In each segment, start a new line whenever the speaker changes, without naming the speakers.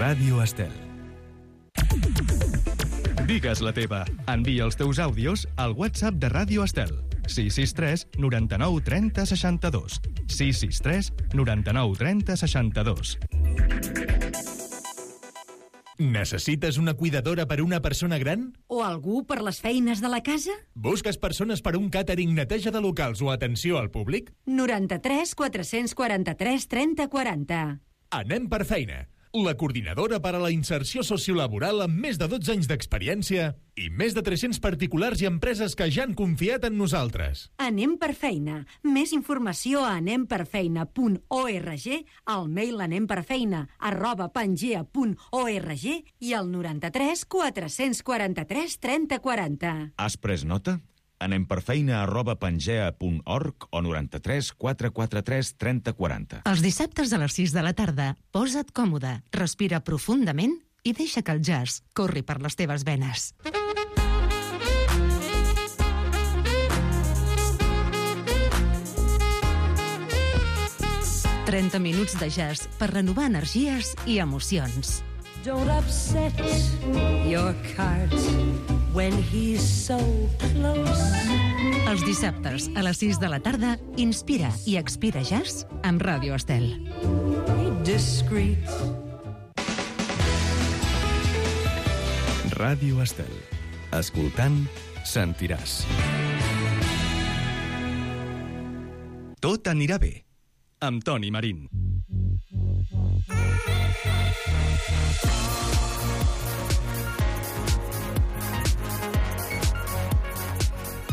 Ràdio Estel. Digues la teva. Envia els teus àudios al WhatsApp de Ràdio Estel. 663 99 30 62. 663 99 30 62.
Necessites una cuidadora per una persona gran?
O algú per les feines de la casa?
Busques persones per un càtering, neteja de locals o atenció al públic?
93 443 30 40.
Anem per feina. La coordinadora per a la inserció sociolaboral amb més de 12 anys d'experiència i més de 300 particulars i empreses que ja han confiat en nosaltres.
Anem per feina. Més informació a anemperfeina.org, al mail anemperfeina@pangea.org i al 93 443 30 40.
Has pres nota? anemperfeina@pangea.org o 93 443 30 40.
Els dissabtes a les 6 de la tarda, posa't còmode, respira profundament i deixa que el jazz corri per les teves venes. «30 minuts de jazz per renovar energies i emocions».
Don't upset your cart when he's so close.
Els dissabtes a les 6 de la tarda, inspira i expira jazz amb Ràdio Estel.
Be discreet.
Ràdio Estel. Escoltant, sentiràs. Tot anirà bé. Amb Toni Marín.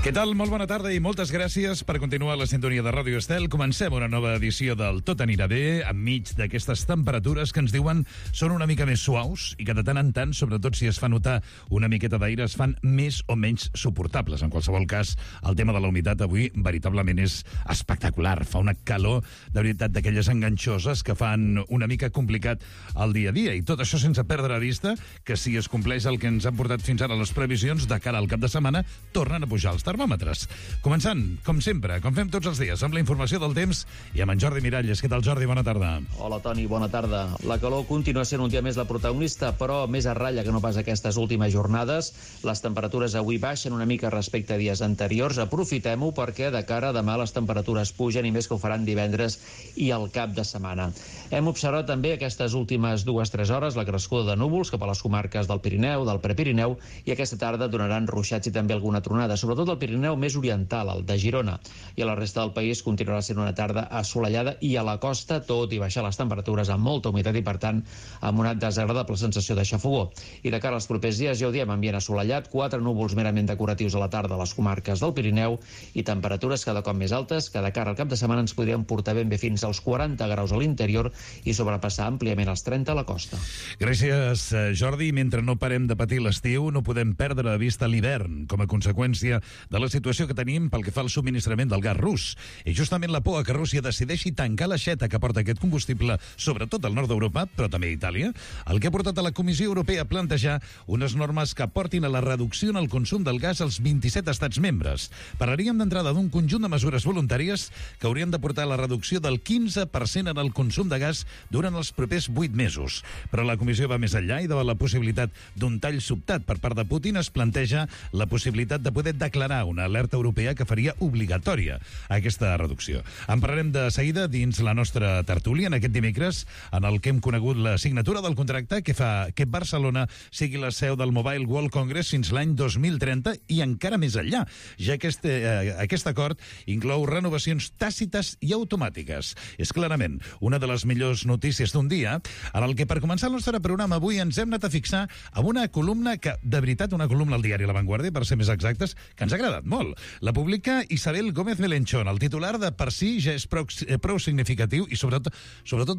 Què tal? Molt bona tarda i moltes gràcies per continuar la sintonia de Ràdio Estel. Comencem una nova edició del Tot anirà bé, enmig d'aquestes temperatures que ens diuen són una mica més suaus i que de tant en tant, sobretot si es fa notar una miqueta d'aire, es fan més o menys suportables. En qualsevol cas, el tema de la humitat avui veritablement és espectacular. Fa una calor, de veritat, d'aquelles enganxoses que fan una mica complicat el dia a dia. I tot això sense perdre de vista que si es compleix el que ens han portat fins ara les previsions, de cara al cap de setmana, tornen a pujar els termòmetres. Començant, com sempre, com fem tots els dies, amb la informació del temps i amb en Jordi Miralles. Què tal, Jordi? Bona tarda.
Hola, Toni, bona tarda. La calor continua sent un dia més la protagonista, però més a ratlla que no pas aquestes últimes jornades. Les temperatures avui baixen una mica respecte a dies anteriors. Aprofitem-ho perquè de cara a demà les temperatures pugen i més que ho faran divendres i al cap de setmana. Hem observat també aquestes últimes 2-3 hores la crescuda de núvols cap a les comarques del Pirineu, del Prepirineu, i aquesta tarda donaran ruixats i també alguna tronada, sobretot al Pirineu més oriental, el de Girona, i a la resta del país continuarà sent una tarda assolellada i a la costa, tot i baixar les temperatures amb molta humitat i, per tant, amb una desagradable sensació de xafogó. I de cara als propers dies, ja ho diem, ambient assolellat, 4 núvols merament decoratius a la tarda a les comarques del Pirineu i temperatures cada cop més altes que de cara al cap de setmana ens podrien portar ben bé fins als 40 graus a l'interior i sobrepassar àmpliament els 30 a la costa.
Gràcies, Jordi. Mentre no parem de patir l'estiu, no podem perdre de vista l'hivern com a conseqüència de la situació que tenim pel que fa al subministrament del gas rus. I justament la por que Rússia decideixi tancar l'aixeta que porta aquest combustible, sobretot al nord d'Europa, però també a Itàlia, el que ha portat a la Comissió Europea a plantejar unes normes que portin a la reducció en el consum del gas als 27 estats membres. Parlaríem d'entrada d'un conjunt de mesures voluntàries que haurien de portar a la reducció del 15% en el consum de gas durant els propers 8 mesos. Però la Comissió va més enllà i davant la possibilitat d'un tall sobtat per part de Putin es planteja la possibilitat de poder declarar una alerta europea que faria obligatòria aquesta reducció. En parlarem de seguida dins la nostra tertúlia en aquest dimecres, en el que hem conegut la signatura del contracte que fa que Barcelona sigui la seu del Mobile World Congress fins l'any 2030 i encara més enllà, ja que aquest acord inclou renovacions tàcites i automàtiques. És clarament una de les millors notícies d'un dia en el que, per començar el nostre programa avui, ens hem anat a fixar amb una columna que, de veritat, una columna al diari La Vanguardia, per ser més exactes, que ens ha agradat molt. La publica Isabel Gómez Melenchón. El titular de per si ja és prou significatiu i sobretot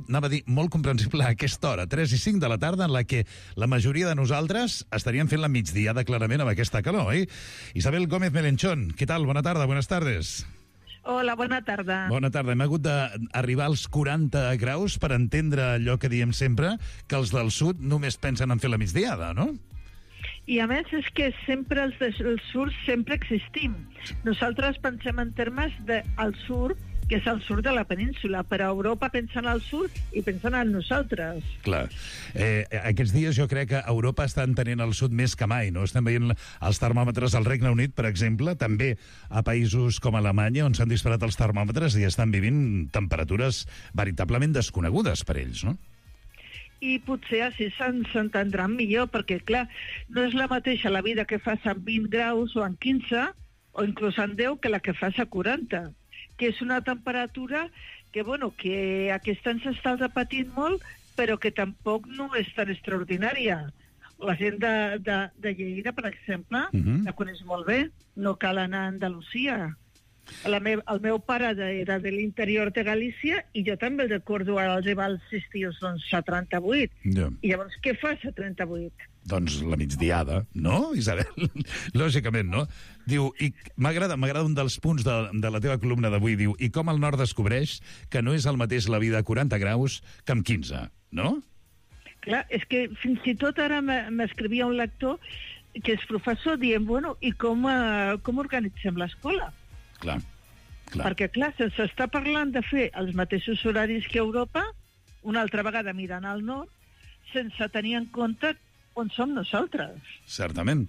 anava a dir molt comprensible a aquesta hora, 3 i 5 de la tarda, en la que la majoria de nosaltres estaríem fent la migdiada clarament amb aquesta calor, oi? Isabel Gómez Melenchón, què tal? Bona tarda, buenas tardes.
Hola, bona tarda.
Bona tarda. Hem hagut d'arribar als 40 graus per entendre allò que diem sempre, que els del sud només pensen en fer la migdiada, no?
I a més és que sempre els del sud sempre existim. Nosaltres pensem en termes del sud que és al sud de la península, però Europa pensant al sud i pensant en nosaltres.
Clar. Aquests dies jo crec que Europa està entenent el sud més que mai, no? Estem veient els termòmetres al Regne Unit, per exemple, també a països com Alemanya, on s'han disparat els termòmetres i estan vivint temperatures veritablement desconegudes per ells, no?
I potser així s'entendran millor, perquè, clar, no és la mateixa la vida que fas amb 20 graus o en 15, o inclús en 10, que la que fas a 40, que és una temperatura que, bueno, que aquest any s'està repetint molt, però que tampoc no és tan extraordinària. La gent de Lleida, per exemple, la coneix molt bé, no cal anar a Andalusia. El meu pare era de l'interior de Galícia i jo també el recordo arribar als estius a 38.
Ja.
I llavors què fas a 38?
Doncs la migdiada, no, Isabel? Lògicament, no? Diu, i m'agrada un dels punts de la teva columna d'avui, diu, i com el nord descobreix que no és el mateix la vida a 40 graus que amb 15, no?
Clar, és que fins i tot ara m'escrivia un lector que és professor dient, bueno, i com organitzem l'escola?
Clar.
Perquè, clar, se'ns està parlant de fer els mateixos horaris que Europa, una altra vegada mirant al nord, sense tenir en compte on som nosaltres.
Certament.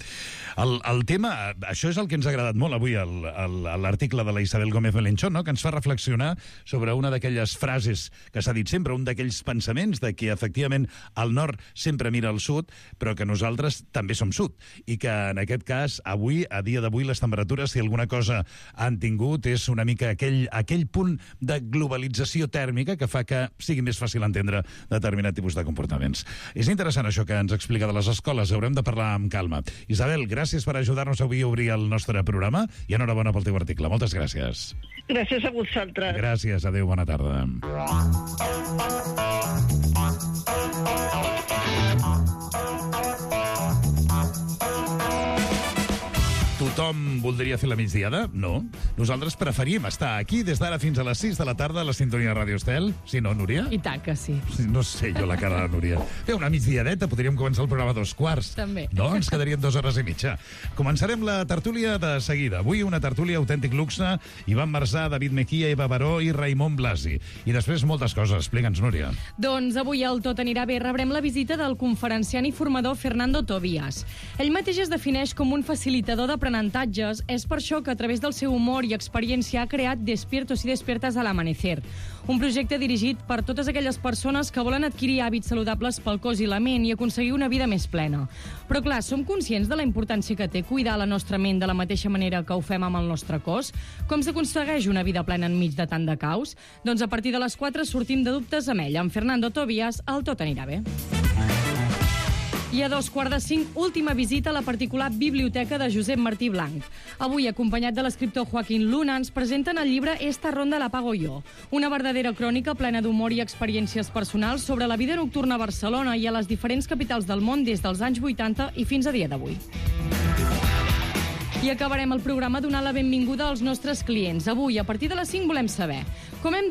El tema, això és el que ens ha agradat molt avui, l'article de la Isabel Gómez Melenchón, no? Que ens fa reflexionar sobre una d'aquelles frases que s'ha dit sempre, un d'aquells pensaments de que, efectivament, el nord sempre mira al sud, però que nosaltres també som sud. I que, en aquest cas, avui, a dia d'avui, les temperatures, si alguna cosa han tingut, és una mica aquell punt de globalització tèrmica que fa que sigui més fàcil entendre determinat tipus de comportaments. És interessant això que ens explica de les escoles, haurem de parlar amb calma. Isabel, gràcies per ajudar-nos avui a obrir el nostre programa i enhorabona pel teu article. Moltes gràcies.
Gràcies a vosaltres.
Gràcies, adéu, bona tarda. Tothom voldria fer la migdiada? No. Nosaltres preferim estar aquí des d'ara fins a les 6 de la tarda a la sintonia de Ràdio Estel. Sí, no, Núria?
I tant que sí.
No sé jo la cara de la Núria. Fer una migdiadeta, podríem començar el programa a 2:15.
També.
No, ens quedarien 2 hores i mitja. Començarem la tertúlia de seguida. Avui una tertúlia autèntic luxe. Ivan Marsà, David Mejía, Eva Baró i Raimon Blasi. I després moltes coses. Explica'ns, Núria.
Doncs avui al Tot anirà bé rebrem la visita del conferenciant i formador Fernando Tobías. Ell mateix es defineix com un facilitador d'aprenentatges. És per això que a través del seu humor i experiència ha creat Despiertos y Despiertas al Amanecer, un projecte dirigit per totes aquelles persones que volen adquirir hàbits saludables pel cos i la ment i aconseguir una vida més plena. Però clar, som conscients de la importància que té cuidar la nostra ment de la mateixa manera que ho fem amb el nostre cos? Com s'aconsegueix una vida plena enmig de tant de caos? Doncs a partir de les 4 sortim de dubtes amb ell, amb Fernando Tobías, al Tot anirà bé. I a 4:45, última visita a la particular biblioteca de Josep Martí Blanc. Avui, acompanyat de l'escriptor Joaquín Luna, ens presenten el llibre Esta ronda la pago yo, una verdadera crònica plena d'humor i experiències personals sobre la vida nocturna a Barcelona i a les diferents capitals del món des dels anys 80 i fins a dia d'avui. I acabarem el programa donant la benvinguda als nostres clients. Avui, a partir de les 5, volem saber com ens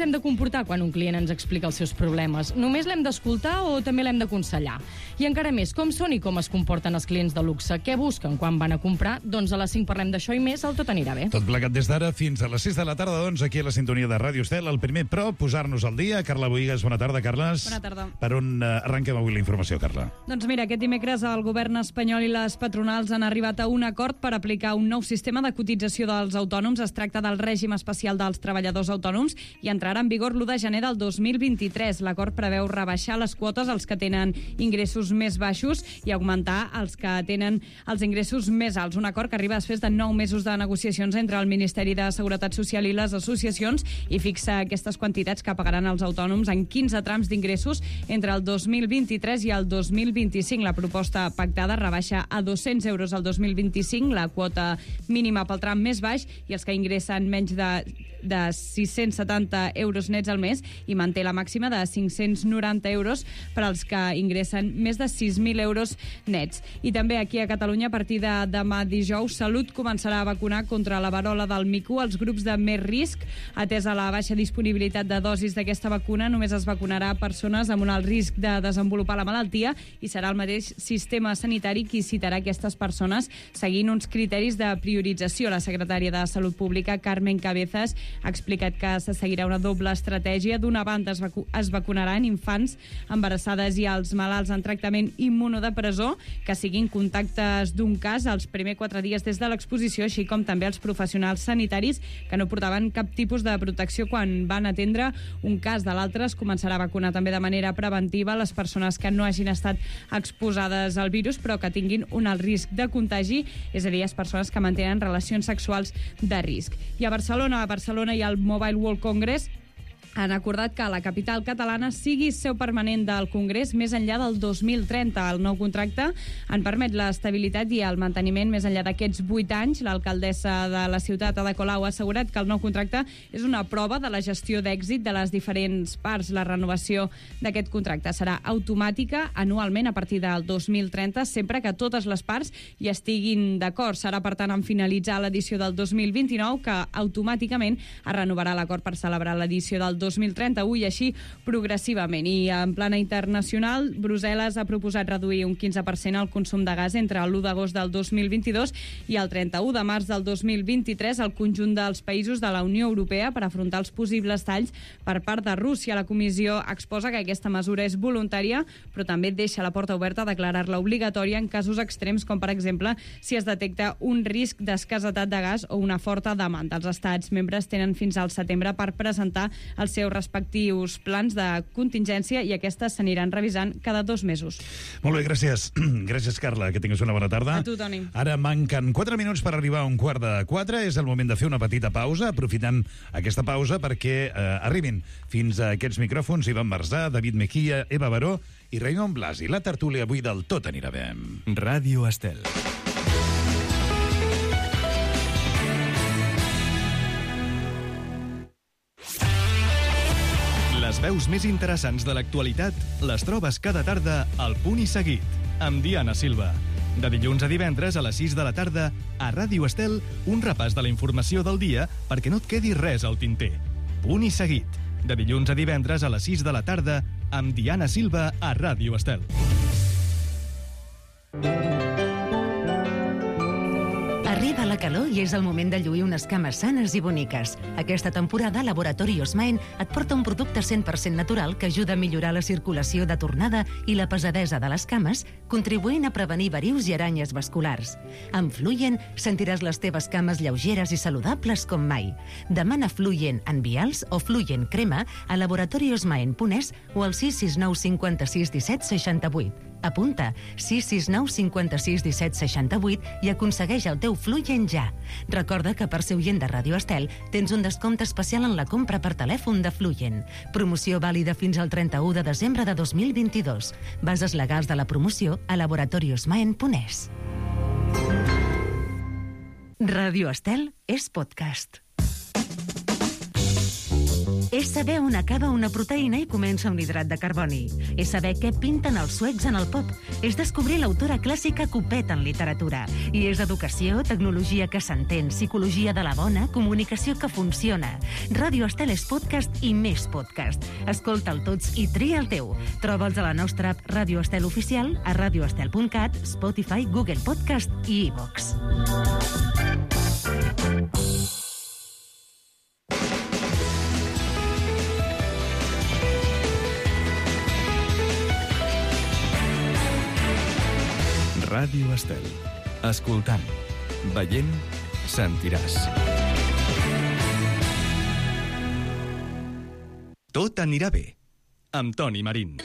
hem de comportar quan un client ens explica els seus problemes. Només l'hem d'escoltar o també l'hem d'aconsellar? I encara més, com són i com es comporten els clients de luxe? Què busquen quan van a comprar? Doncs a les 5 parlem d'això i més, el Tot anirà bé.
Tot plegat des d'ara fins a les 6 de la tarda, doncs, aquí a la sintonia de Ràdio Estel. El primer, però, posar-nos al dia. Carla Boïgues, bona tarda, Carles.
Bona tarda.
Per on arrenquem avui la informació, Carla?
Doncs mira, aquest dimecres el govern espanyol i les patronals han arribat a un acord per aplicar un nou sistema de cotització dels autònoms. Es tracta del règim especial dels treballadors autònoms i entrarà en vigor l'1 de gener del 2023. L'acord preveu rebaixar les quotes als que tenen ingressos més baixos i augmentar els que tenen els ingressos més alts. Un acord que arriba després de 9 mesos de negociacions entre el Ministeri de Seguretat Social i les associacions i fixa aquestes quantitats que pagaran els autònoms en 15 trams d'ingressos entre el 2023 i el 2025. La proposta pactada rebaixa a 200 euros el 2025 la quota mínima pel tram més baix i els que ingressen menys de 670 euros nets al mes i manté la màxima de 590 euros per als que ingressen més de 6.000 euros nets. I també aquí a Catalunya, a partir de demà dijous, Salut començarà a vacunar contra la verola del mico als grups de més risc. Atesa la baixa disponibilitat de dosis d'aquesta vacuna, només es vacunarà persones amb un alt risc de desenvolupar la malaltia i serà el mateix sistema sanitari qui citarà aquestes persones seguint uns criteris de priorització. La secretària de Salut Pública, Carmen Cabezas, ha explicat que se seguirà una doble estratègia. D'una banda, es vacunaran infants, embarassades i els malalts en tractament immunodepressor que siguin contactes d'un cas els primers 4 dies des de l'exposició, així com també els professionals sanitaris que no portaven cap tipus de protecció quan van atendre un cas. De l'altre, es començarà a vacunar també de manera preventiva les persones que no hagin estat exposades al virus però que tinguin un alt risc de contagi, és a dir, les persones que mantenen relacions sexuals de risc. I a Barcelona hi ha el Mobile World Congress. Han acordat que la capital catalana sigui seu permanent del Congrés més enllà del 2030. El nou contracte en permet l'estabilitat i el manteniment més enllà d'aquests 8 anys. L'alcaldessa de la ciutat, Ada Colau, ha assegurat que el nou contracte és una prova de la gestió d'èxit de les diferents parts. La renovació d'aquest contracte serà automàtica anualment a partir del 2030, sempre que totes les parts hi estiguin d'acord. Serà, per tant, en finalitzar l'edició del 2029 que automàticament es renovarà l'acord per celebrar l'edició del 2031 i així progressivament. I en plana internacional, Brussel·les ha proposat reduir un 15% el consum de gas entre l'1 d'agost del 2022 i el 31 de març del 2023 al conjunt dels països de la Unió Europea per afrontar els possibles talls per part de Rússia. La Comissió exposa que aquesta mesura és voluntària, però també deixa la porta oberta a declarar-la obligatòria en casos extrems, com per exemple si es detecta un risc d'escassetat de gas o una forta demanda. Els estats membres tenen fins al setembre per presentar els seus respectius plans de contingència i aquestes s'aniran revisant cada 2 mesos.
Molt bé, gràcies. Gràcies, Carla, que tingues una bona tarda.
A tu, Toni.
Ara manquen 4 minuts per arribar a 3:45. És el moment de fer una petita pausa. Aprofitem aquesta pausa perquè arribin fins a aquests micròfons Ivan Marzà, David Mejía, Eva Baró i Raimon Blasi. La tertúlia avui del Tot anirà bé.
Ràdio Estel. Les veus més interessants de l'actualitat les trobes cada tarda al Punt i Seguit, amb Diana Silva. De dilluns a divendres a les 6 de la tarda, a Ràdio Estel, un repàs de la informació del dia perquè no et quedi res al tinter. Punt i Seguit, de dilluns a divendres a les 6 de la tarda, amb Diana Silva a Ràdio Estel.
Arriba la calor i és el moment de lluir unes cames sanes i boniques. Aquesta temporada, Laboratori Osmaen et porta un producte 100% natural que ajuda a millorar la circulació de tornada i la pesadesa de les cames, contribuint a prevenir verius i aranyes vasculars. Amb Fluyen sentiràs les teves cames lleugeres i saludables com mai. Demana Fluyen en vials o Fluyen crema a laboratoriosmaen.es o al 669 56 17 68. Apunta 669 56 17 68 i aconsegueix el teu Fluyen ja. Recorda que per ser oient de Ràdio Estel tens un descompte especial en la compra per telèfon de Fluyen. Promoció vàlida fins al 31 de desembre de 2022. Bases legals de la promoció a laboratoriosmaen.es. Ràdio Estel és podcast. És saber on acaba una proteïna i comença un hidrat de carboni. És saber què pinten els suecs en el pop. És descobrir l'autora clàssica que ho peta en literatura. I és educació, tecnologia que s'entén, psicologia de la bona, comunicació que funciona. Ràdio Estel és podcast i més podcast. Escolta'l tots i tria el teu. Troba'ls a la nostra app Ràdio Estel Oficial, a radioestel.cat, Spotify, Google Podcast i iVox.
Ràdio Estel. Escoltant, veient, sentiràs. Tot anirà bé, amb Toni Marín.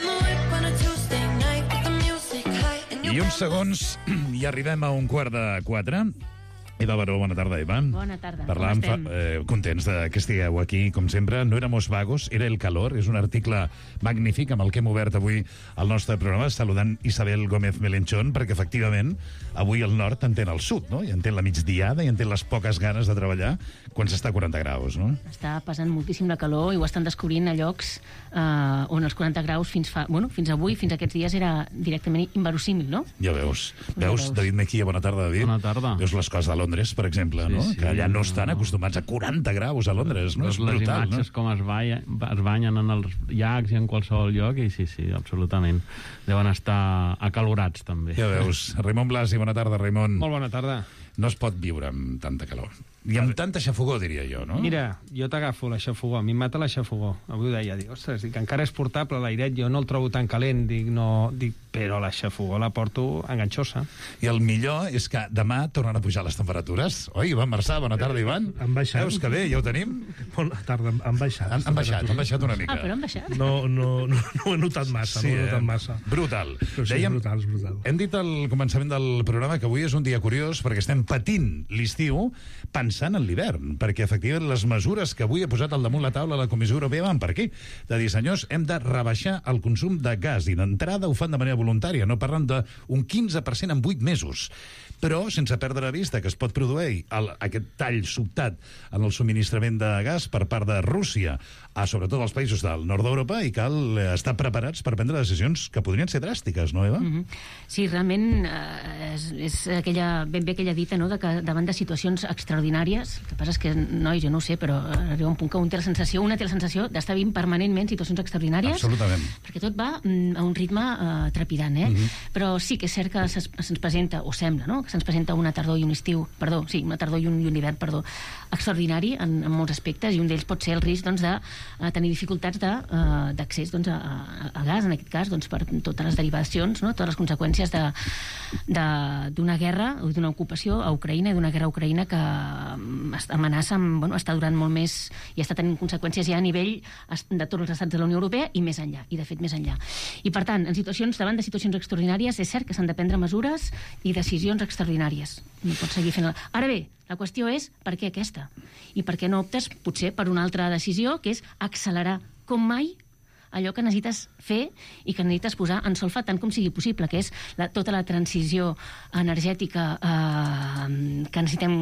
I uns segons i arribem a 3:45. Eva Baró, bona tarda, Eva.
Bona tarda,
Parlàvem,
com estem?
contents que estigueu aquí, com sempre. No éramos vagos, era el calor. És un article magnífic amb el que hem obert avui el nostre programa, saludant Isabel Gómez Melenchón, perquè efectivament avui el nord entén el sud, no? I entén la migdiada i entén les poques ganes de treballar quan s'està a 40 graus, no?
Està passant moltíssim la calor i ho estan descobrint a llocs on els 40 graus fins avui, fins aquests dies, era directament inverosímil, no?
Ja veus. Veus, David Mejía, bona tarda, David.
Bona tarda.
Veus les coses de Londres, per exemple, no? Que allà no estan acostumats a 40 graus a Londres, no? És brutal, no?
Les imatges com es banyen en els llacs i en qualsevol lloc, i sí, absolutament. Deuen estar acalorats, també.
Ja veus. Raimon Blasi, bona tarda, Raimon.
Molt bona tarda.
No es pot viure amb tanta calor. I amb tanta xafogó, diria jo, no?
Mira, jo t'agafo la xafogó, a mi em mata la xafogó. Avui ho deia, dic, ostres, dic, encara és portable l'airet, jo no el trobo tan calent, però la xafogó la porto enganxosa.
I el millor és que demà tornen a pujar les temperatures. Oi, Ivan Marçà, bona tarda, Ivan.
Han baixat.
Veus que bé, ja ho tenim?
Bona tarda, han baixat.
Han baixat una mica.
Ah, però han baixat?
No ho he notat massa, massa.
Brutal.
Però sí,
Dèiem,
brutal.
Hem dit al començament del programa que avui és un dia curiós perquè estem patint l'estiu pensant en l'hivern, perquè efectivament les mesures que avui ha posat al damunt la taula la Comissió Europea van per aquí. De dir, senyors, hem de rebaixar el consum de gas, i d'entrada ho fan de manera voluntària, no parlen d'un 15% en 8 mesos. Però sense perdre de vista que es pot produir aquest tall sobtat en el subministrament de gas per part de Rússia a sobretot els països del nord d'Europa, i cal estar preparats per prendre decisions que podrien ser dràstiques, no, Eva?
Sí, realment és ben bé aquella dita, no?, de que davant de situacions extraordinàries, el que passa és que, nois, jo no ho sé, però arriba un punt que una té la sensació d'estar vivint permanentment situacions extraordinàries.
Absolutament.
Perquè tot va a un ritme trepidant, Però sí que és cert que se'ns presenta, o sembla, no?, que se'ns presenta una tardor i un estiu, una tardor i un hivern, extraordinari en molts aspectes, i un d'ells pot ser el risc, doncs, de tenir dificultats d'accés a gas, en aquest cas, doncs, per totes les derivacions, no?, totes les conseqüències d'una guerra o d'una ocupació a Ucraïna, i d'una guerra a Ucraïna que amenaça, està durant molt més i està tenint conseqüències ja a nivell de tots els estats de la Unió Europea i més enllà, i de fet més enllà. I per tant, davant de situacions extraordinàries, és cert que s'han de prendre mesures i decisions extraordinàries. No pots seguir fent-la. Ara bé, la qüestió és per què aquesta? I per què no optes, potser, per una altra decisió, que és accelerar com mai allò que necessites fer i que necessites posar en solfa tant com sigui possible, que és tota la transició energètica que necessitem,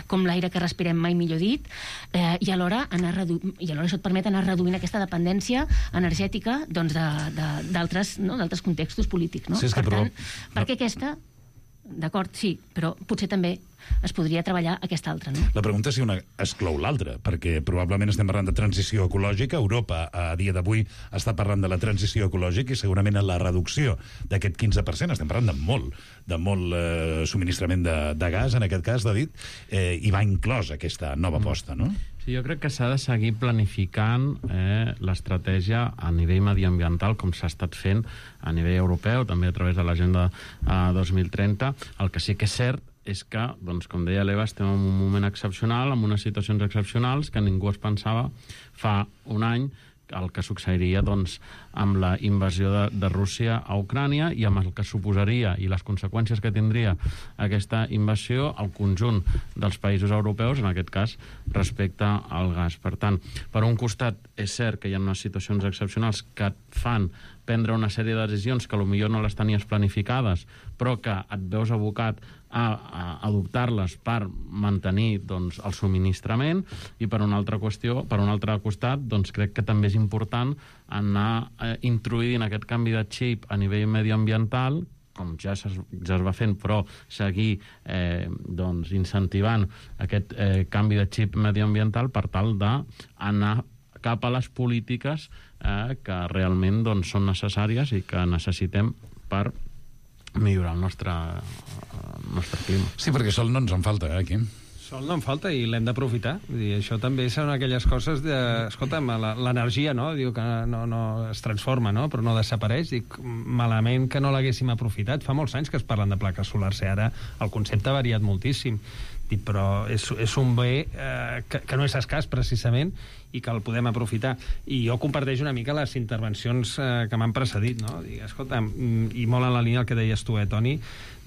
com l'aire que respirem, mai millor dit, i alhora això et permet anar reduint aquesta dependència energètica d'altres contextos polítics. No? Per tant, per què aquesta? D'acord, sí, però potser també es podria treballar aquesta altra, no?
La pregunta és si una exclou l'altra, perquè probablement estem parlant de transició ecològica. Europa, a dia d'avui, està parlant de la transició ecològica i segurament en la reducció d'aquest 15%. Estem parlant de molt subministrament de gas, en aquest cas, David, i va inclòs aquesta nova aposta, no?
Sí, jo crec que s'ha de seguir planificant l'estratègia a nivell mediambiental, com s'ha estat fent a nivell europeu, també a través de l'Agenda 2030. El que sí que és cert és que, doncs, com deia l'Eva, estem en un moment excepcional, en unes situacions excepcionals que ningú es pensava fa un any el que succeiria, doncs, amb la invasió de Rússia a Ucrània i amb el que suposaria i les conseqüències que tindria aquesta invasió al conjunt dels països europeus, en aquest cas, respecte al gas. Per tant, per un costat, és cert que hi ha unes situacions excepcionals que et fan prendre una sèrie de decisions que potser no les tenies planificades, però que et veus abocat a adoptar-les per mantenir, doncs, el subministrament, i per un altre costat, doncs, crec que també és important anar introduint aquest canvi de xip a nivell mediambiental, com ja es va fent, però seguir doncs, incentivant aquest canvi de xip mediambiental per tal d'anar cap a les polítiques que realment, doncs, són necessàries i que necessitem per millorar el nostre clima.
Sí, perquè sol no ens en falta, aquí.
Sol no en falta i l'hem d'aprofitar. Això també són aquelles coses de... Escolta'm, l'energia, no? Diu que no es transforma, no? Però no desapareix. Dic, malament que no l'haguéssim aprofitat. Fa molts anys que es parlen de plaques solars, i ara el concepte ha variat moltíssim. Dic, però és un bé que no és escàs, precisament, i que el podem aprofitar. I jo comparteixo una mica les intervencions que m'han precedit, no? Dic, escolta, i molt en la línia del que deies tu, Toni,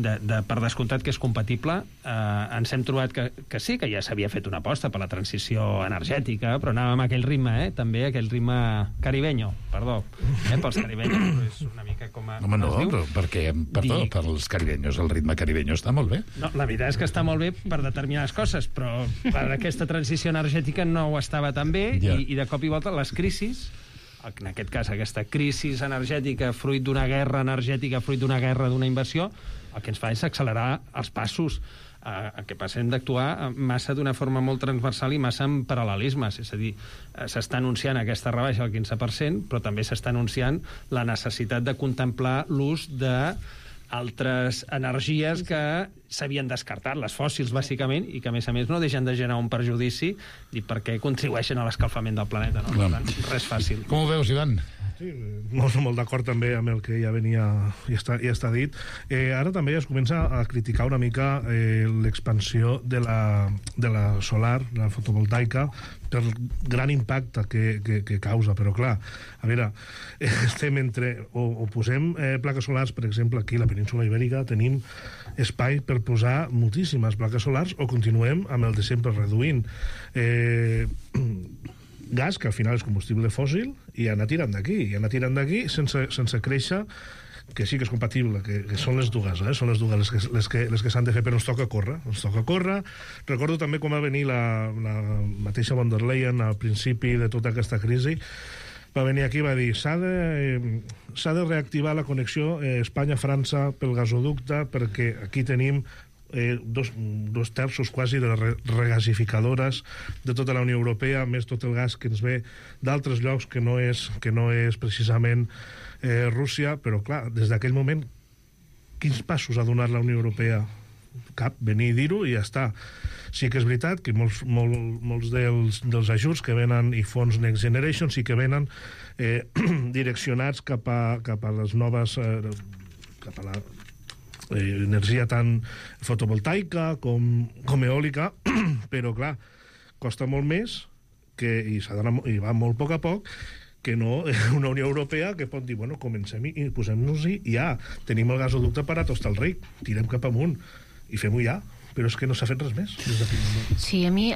per descomptat que és compatible. Ens hem trobat que sí, que ja s'havia fet una aposta per la transició energètica, però anàvem a aquell ritme, també aquell ritme caribeño, pels caribenyos, però és una mica com es diu.
Però perquè, pels caribenyos, el ritme caribenyo està molt bé.
No, la veritat és que està molt bé per determinades coses, però per aquesta transició energètica no ho estava tan bé, i de cop i volta les crisis, en aquest cas aquesta crisi energètica fruit d'una guerra energètica, fruit d'una guerra, d'una invasió, el que ens fa és accelerar els passos. El que passa, hem d'actuar massa d'una forma molt transversal i massa en paral·lelismes. És a dir, s'està anunciant aquesta rebaixa del 15%, però també s'està anunciant la necessitat de contemplar l'ús d'altres energies que s'havien descartat, les fòssils, bàsicament, i que, a més, no deixen de generar un perjudici perquè contribueixen a l'escalfament del planeta. No? Per tant, res fàcil.
Com ho veus, Ivan?
Sí, molt d'acord també amb el que ja venia i està dit. Ara també es comença a criticar una mica l'expansió de la solar, de la fotovoltaica, per gran impacte que causa, però clar, a veure, estem o posem plaques solars, per exemple, aquí a la península Ibèrica tenim espai per posar moltíssimes plaques solars, o continuem amb el de sempre reduint gas, que al final és combustible fòssil, i anar tirant d'aquí sense créixer, que sí que és compatible, que són les dues, són les dues les que s'han de fer, però ens toca córrer. Recordo també quan va venir la mateixa von der Leyen al principi de tota aquesta crisi, va venir aquí i va dir s'ha de reactivar la connexió Espanya-França pel gasoducte, perquè aquí tenim dos terços quasi de regasificadores de tota la Unió Europea, més tot el gas que ens ve d'altres llocs que no és precisament Rússia, però clar, des d'aquell moment quins passos ha donat la Unió Europea? Cap, venir i dir-ho i ja està. Sí que és veritat que molts dels ajuts que venen i fons Next Generation sí que venen direccionats cap a les noves cap a la energia tant fotovoltaica com eòlica, però clar, costa molt més i va molt a poc que no una Unió Europea que pot dir, bueno, comencem i posem-nos-hi i ja, tenim el gasoducte per a tostar el ric, tirem cap amunt i fem-ho ja, però és que no s'ha fet res més.
Sí, a mi,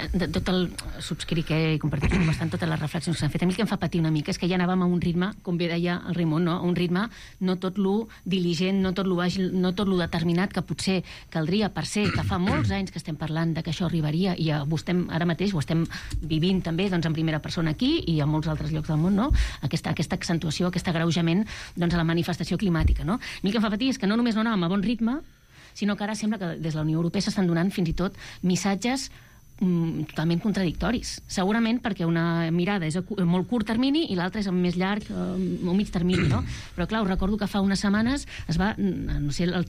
subscric i comparteixo bastant totes les reflexions que s'han fet. A mi el que em fa patir una mica és que ja anàvem a un ritme, com bé deia el Raimon, no? Un ritme no tot lo diligent, no tot lo àgil, no tot lo determinat que potser caldria per ser, que fa molts anys que estem parlant de que això arribaria i ara mateix ho estem vivint també en primera persona aquí i a molts altres llocs del món, no? Aquesta accentuació, aquest agreujament a la manifestació climàtica, no? A mi el que em fa patir és que no només no anàvem a bon ritme, sinó que ara sembla que des de la Unió Europea s'estan donant fins i tot missatges totalment contradictoris. Segurament perquè una mirada és a molt curt termini i l'altra és a més llarg o mig termini, no? Però clar, us recordo que fa unes setmanes es va, no sé, la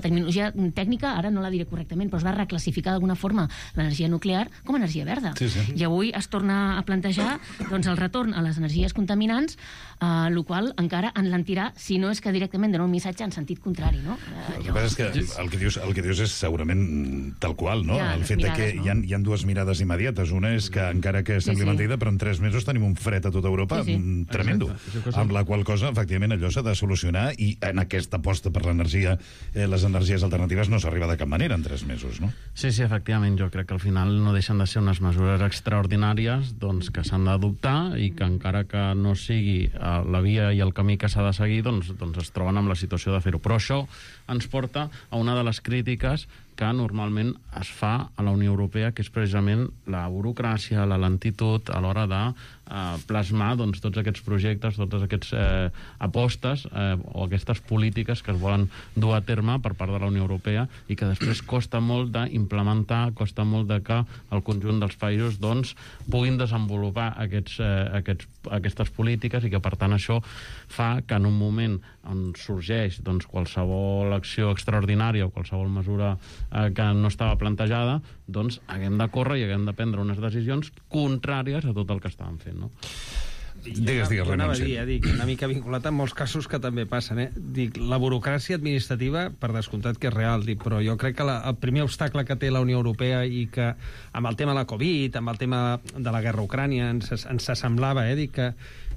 terminologia tècnica, ara no la diré correctament, però es va reclassificar d'alguna forma l'energia nuclear com a energia verda. Sí. I avui es torna a plantejar el retorn a les energies contaminants, el qual encara enlentirà, si no és que directament dona un missatge en sentit contrari, no?
El que passa és que el que dius és segurament tal qual, no? El fet que hi ha dues mirades immediates. Una és que, encara que sembli mentida, però en 3 mesos tenim un fred a tota Europa tremendo. Amb la qual cosa, efectivament, allò s'ha de solucionar i en aquesta aposta per l'energia, les energies alternatives no s'arriba de cap manera en 3 mesos, no?
Sí, efectivament. Jo crec que al final no deixen de ser unes mesures extraordinàries que s'han d'adoptar i que encara que no sigui la via i el camí que s'ha de seguir, doncs es troben amb la situació de fer-ho. Però això ens porta a una de les crítiques que normalment es fa a la Unió Europea, que és precisament la burocràcia, la lentitud a l'hora de plasmar tots aquests projectes, totes aquestes apostes o aquestes polítiques que es volen dur a terme per part de la Unió Europea i que després costa molt d'implementar, costa molt de que el conjunt dels països puguin desenvolupar aquestes polítiques i que per tant això fa que en un moment on sorgeix qualsevol acció extraordinària o qualsevol mesura que no estava plantejada, haguem de córrer i haguem de prendre unes decisions contràries a tot el que estàvem fent, no?
Digues,
Jo anava a
renuncia.
dir, una mica vinculat amb molts casos que també passen. Dic, la burocràcia administrativa, per descomptat que és real, però jo crec que el primer obstacle que té la Unió Europea i que amb el tema de la Covid, amb el tema de la guerra a Ucrània, ens semblava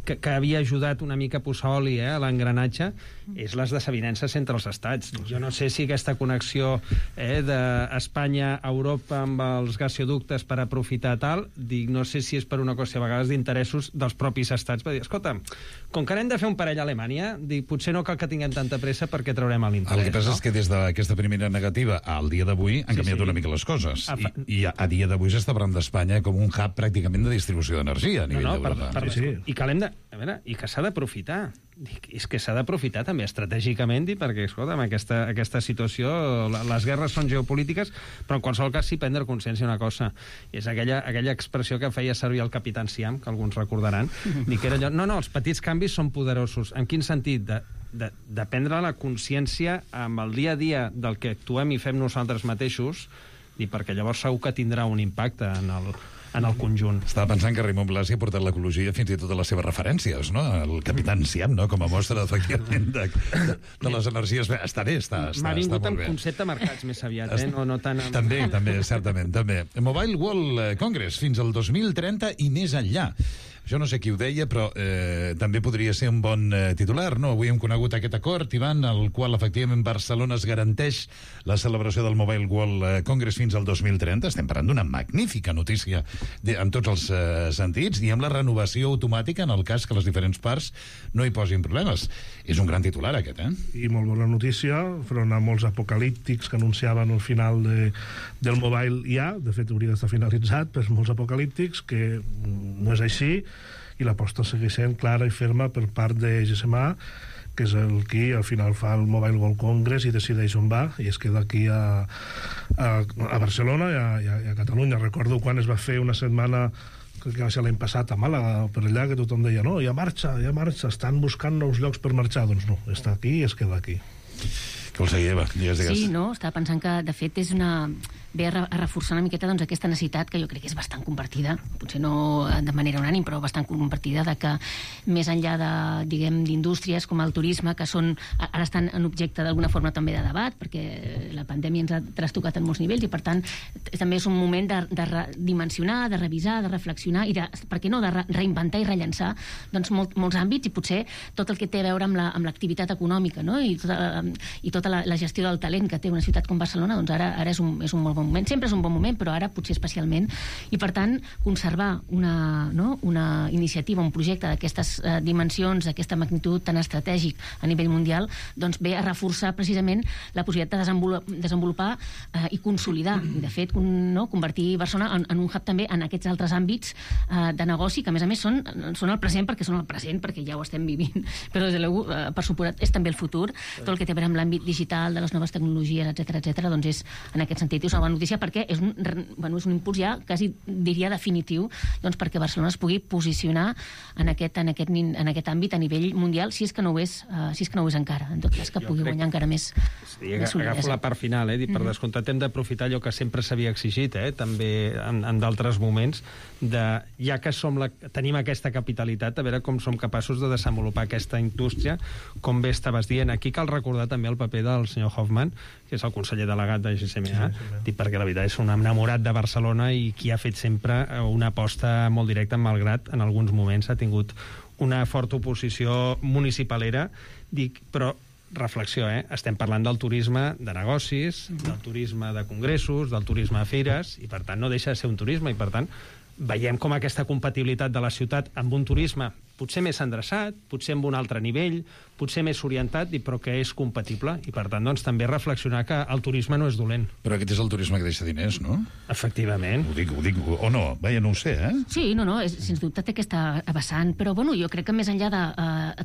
que havia ajudat una mica a posar oli a l'engranatge, és les desavinences entre els estats. Jo no sé si aquesta connexió d'Espanya a Europa amb els gasoductes per aprofitar tal, no sé si és per una qüestió a vegades d'interessos dels propis estats, per dir, escolta, com que anem de fer un parell a Alemanya, potser no cal que tinguem tanta pressa perquè traurem l'interès.
El que passa és que des d'aquesta primera negativa al dia d'avui han canviat una mica les coses. I a dia d'avui s'està parlant d'Espanya com un hub pràcticament de distribució d'energia a nivell d'Europa.
I que l'hem de... A veure, i que s'ha d'aprofitar. És que s'ha d'aprofitar també estratègicament, perquè, escolta, amb aquesta situació, les guerres són geopolítiques, però en qualsevol cas sí prendre consciència d'una cosa. És aquella expressió que feia servir el capità Siam, que alguns recordaran, dir que era allò, no, els petits canvis són poderosos. En quin sentit? De prendre la consciència amb el dia a dia del que actuem i fem nosaltres mateixos, perquè llavors segur que tindrà un impacte en el conjunt.
Estava pensant que Raimon Blasi ha portat l'ecologia fins i tot a les seves referències, no? El capità Siam, no? Com a mostra, efectivament, de les energies... Està bé, està molt bé.
M'ha vingut en concepte mercats més aviat, no tant...
També, certament, també. Mobile World Congress fins al 2030 i més enllà. Jo no sé qui ho deia, però també podria ser un bon titular, no? Avui hem conegut aquest acord, Ivan, el qual efectivament Barcelona es garanteix la celebració del Mobile World Congress fins al 2030. Estem parlant d'una magnífica notícia en tots els sentits, i amb la renovació automàtica en el cas que les diferents parts no hi posin problemes. És un gran titular, aquest,
I molt bona notícia, front a molts apocalíptics que anunciaven al final del Mobile ja, de fet hauria d'estar finalitzat, però molts apocalíptics, que no és així, i l'aposta segueix sent clara i ferma per part de GSMA, que és el qui al final fa el Mobile World Congress i decideix on va, i es queda aquí a Barcelona i a Catalunya. Recordo quan es va fer una setmana, crec que va ser l'any passat, a Màlaga, per allà, que tothom deia, no, ja marxa, estan buscant nous llocs per marxar. Doncs no, està aquí i es queda aquí.
Què vols dir, Eva? Digues.
Sí, no, estava pensant que, de fet, ve a reforçar una miqueta aquesta necessitat que jo crec que és bastant compartida, potser no de manera unànim, però bastant compartida, de que més enllà d'indústries com el turisme, que ara estan en objecte d'alguna forma també de debat, perquè la pandèmia ens ha trastocat en molts nivells i per tant també és un moment de dimensionar, de revisar, de reflexionar i per què no, de reinventar i rellençar molts àmbits, i potser tot el que té a veure amb l'activitat econòmica, no? I tota la gestió del talent que té una ciutat com Barcelona, doncs ara és un molt bon moment. Sempre és un bon moment, però ara potser especialment. I, per tant, conservar una iniciativa, un projecte d'aquestes dimensions, d'aquesta magnitud tan estratègic a nivell mundial, doncs ve a reforçar precisament la possibilitat de desenvolupar i consolidar. I, de fet, convertir Barcelona en un hub també en aquests altres àmbits de negoci, que a més són el present perquè ja ho estem vivint. Però, des de l'EU, per suposat, és també el futur. Tot el que té a veure amb l'àmbit digital, de les noves tecnologies, etc., doncs és, en aquest sentit, és una bona notícia perquè és un impuls ja quasi diria definitiu, doncs perquè Barcelona es pugui posicionar en aquest àmbit a nivell mundial, si és que no ho és encara, en tot cas que pugui guanyar encara més solidesa.
Agafo la part final, per descomptat hem d'aprofitar allò que sempre s'havia exigit, també en d'altres moments, ja que tenim aquesta capitalitat, a veure com som capaços de desenvolupar aquesta indústria, com bé estaves dient. Aquí cal recordar també el paper del senyor Hoffman, que és el conseller delegat de GSMA, perquè la veritat és un enamorat de Barcelona i qui ha fet sempre una aposta molt directa, malgrat en alguns moments ha tingut una forta oposició municipalera, però reflexió, estem parlant del turisme de negocis, del turisme de congressos, del turisme de fires, i per tant no deixa de ser un turisme, i per tant veiem com aquesta compatibilitat de la ciutat amb un turisme potser més endreçat, potser amb un altre nivell, potser més orientat, però que és compatible, i per tant doncs, també reflexionar que el turisme no és dolent.
Però aquest és el turisme que deixa diners, no?
Efectivament.
Ho dic, o no? Vaja, no ho sé,
Sí, no, sens dubte té aquesta vessant, però bueno, jo crec que més enllà de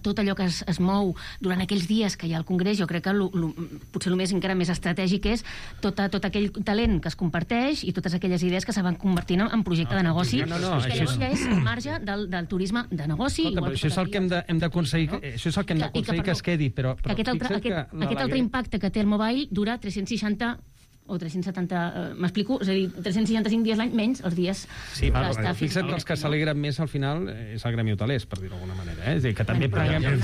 tot allò que es mou durant aquells dies que hi ha al Congrés, jo crec que potser el més encara més estratègic és tot aquell talent que es comparteix i totes aquelles idees que se van convertint en projecte de negoci, que llavors ja és al marge del turisme de negoci.
Això és el que hem d'aconseguir que es quedi, però
aquest altre impacte que té el mobile dura 360 o 370... M'explico? És a dir, 365 dies l'any menys els dies...
Sí, però fixa't que els que s'alegren més al final és el gremi hotelers, per dir-ho d'alguna manera. És a dir, que també paguem els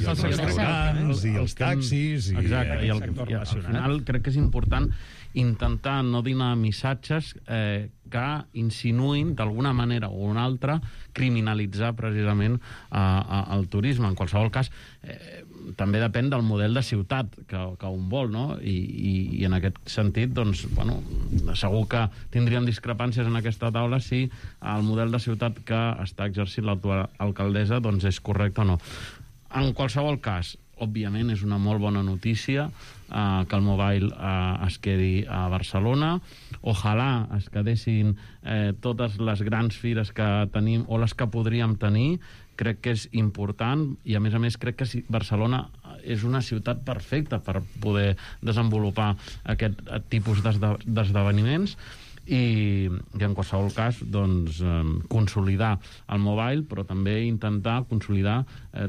restaurants i els taxis...
Exacte, i al final crec que és important intentar no donar missatges que insinuïn d'alguna manera o una altra criminalitzar precisament el turisme. En qualsevol cas, també depèn del model de ciutat que un vol, no? I en aquest sentit, doncs, bueno, segur que tindríem discrepàncies en aquesta taula si el model de ciutat que està exercint l'actual alcaldessa doncs és correcte o no. En qualsevol cas, òbviament és una molt bona notícia que el Mobile es quedi a Barcelona. Ojalà es quedessin totes les grans fires que tenim o les que podríem tenir. Crec que és important i, a més, crec que Barcelona és una ciutat perfecta per poder desenvolupar aquest tipus d'esdeveniments. I en qualsevol cas doncs, consolidar el Mobile, però també intentar consolidar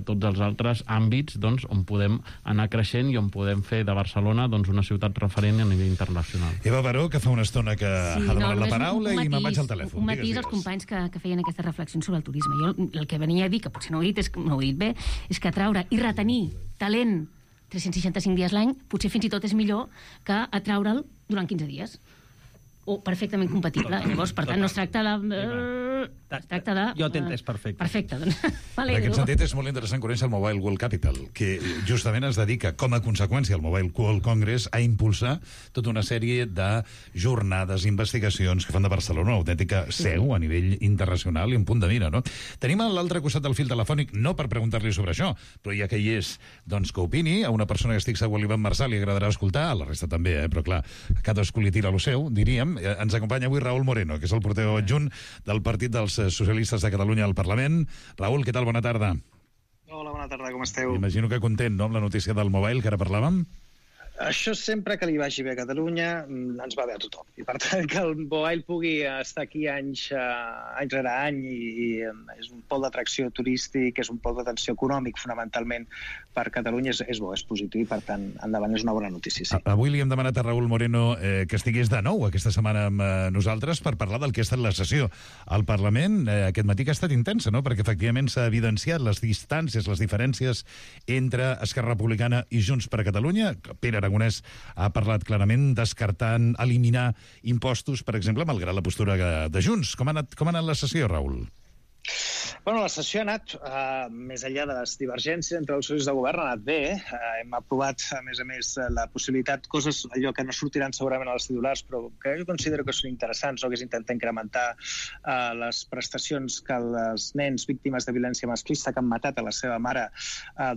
tots els altres àmbits doncs, on podem anar creixent i on podem fer de Barcelona doncs, una ciutat referent a nivell internacional.
Eva Baró, que fa una estona que ha demanat la paraula i me'n vaig al telèfon.
Un matís als companys que feien aquestes reflexions sobre el turisme. Jo el que venia a dir, que potser no ho he dit bé, és que atraure i retenir talent 365 dies l'any potser fins i tot és millor que atraure'l durant 15 dies. O perfectament compatible. Llavors, per tant, no es tracta de... Es tracta de...
Jo t'he entès perfecte.
Perfecte, doncs.
En aquest sentit, és molt interessant conèixer el Mobile World Capital, que justament es dedica, com a conseqüència, el Mobile World Congress, a impulsar tota una sèrie de jornades, investigacions que fan de Barcelona una autèntica seu a nivell internacional i un punt de mira, no? Tenim a l'altre costat del fil telefònic, no per preguntar-li sobre això, però ja que hi és, doncs que opini, a una persona que estic segur l'Ivan Marçal li agradarà escoltar, a la resta també, però clar, cadascú li tira lo seu, diríem. Ens acompanya avui Raül Moreno, que és el portaveu adjunt del Partit dels Socialistes de Catalunya al Parlament. Raül, què tal? Bona tarda.
Hola, bona tarda, com esteu?
Imagino que content, no?, amb la notícia del Mobile, que ara parlàvem.
Això sempre que li vagi bé a Catalunya ens va bé a tothom. I per tant que el Mobile pugui estar aquí any rere any i és un pol d'atracció turístic, és un pol d'atenció econòmic fonamentalment per Catalunya, és bo, és positiu i per tant endavant és una bona notícia. Sí.
Avui li hem demanat a Raül Moreno que estigués de nou aquesta setmana amb nosaltres per parlar del que ha estat la sessió al Parlament. Aquest matí que ha estat intensa, no?, perquè efectivament s'ha evidenciat les distàncies, les diferències entre Esquerra Republicana i Junts per Catalunya. Pere Aragonès ha parlat clarament descartant eliminar impostos, per exemple, malgrat la postura de Junts. Com ha anat la sessió, Raül?
Bueno, la sessió ha anat, més enllà de les divergències entre els socis de govern, ha anat bé. Hem aprovat, a més, la possibilitat, coses allò que no sortiran segurament a les titulars, però que jo considero que són interessants, no?, que és intentar incrementar les prestacions que els nens víctimes de violència masclista que han matat a la seva mare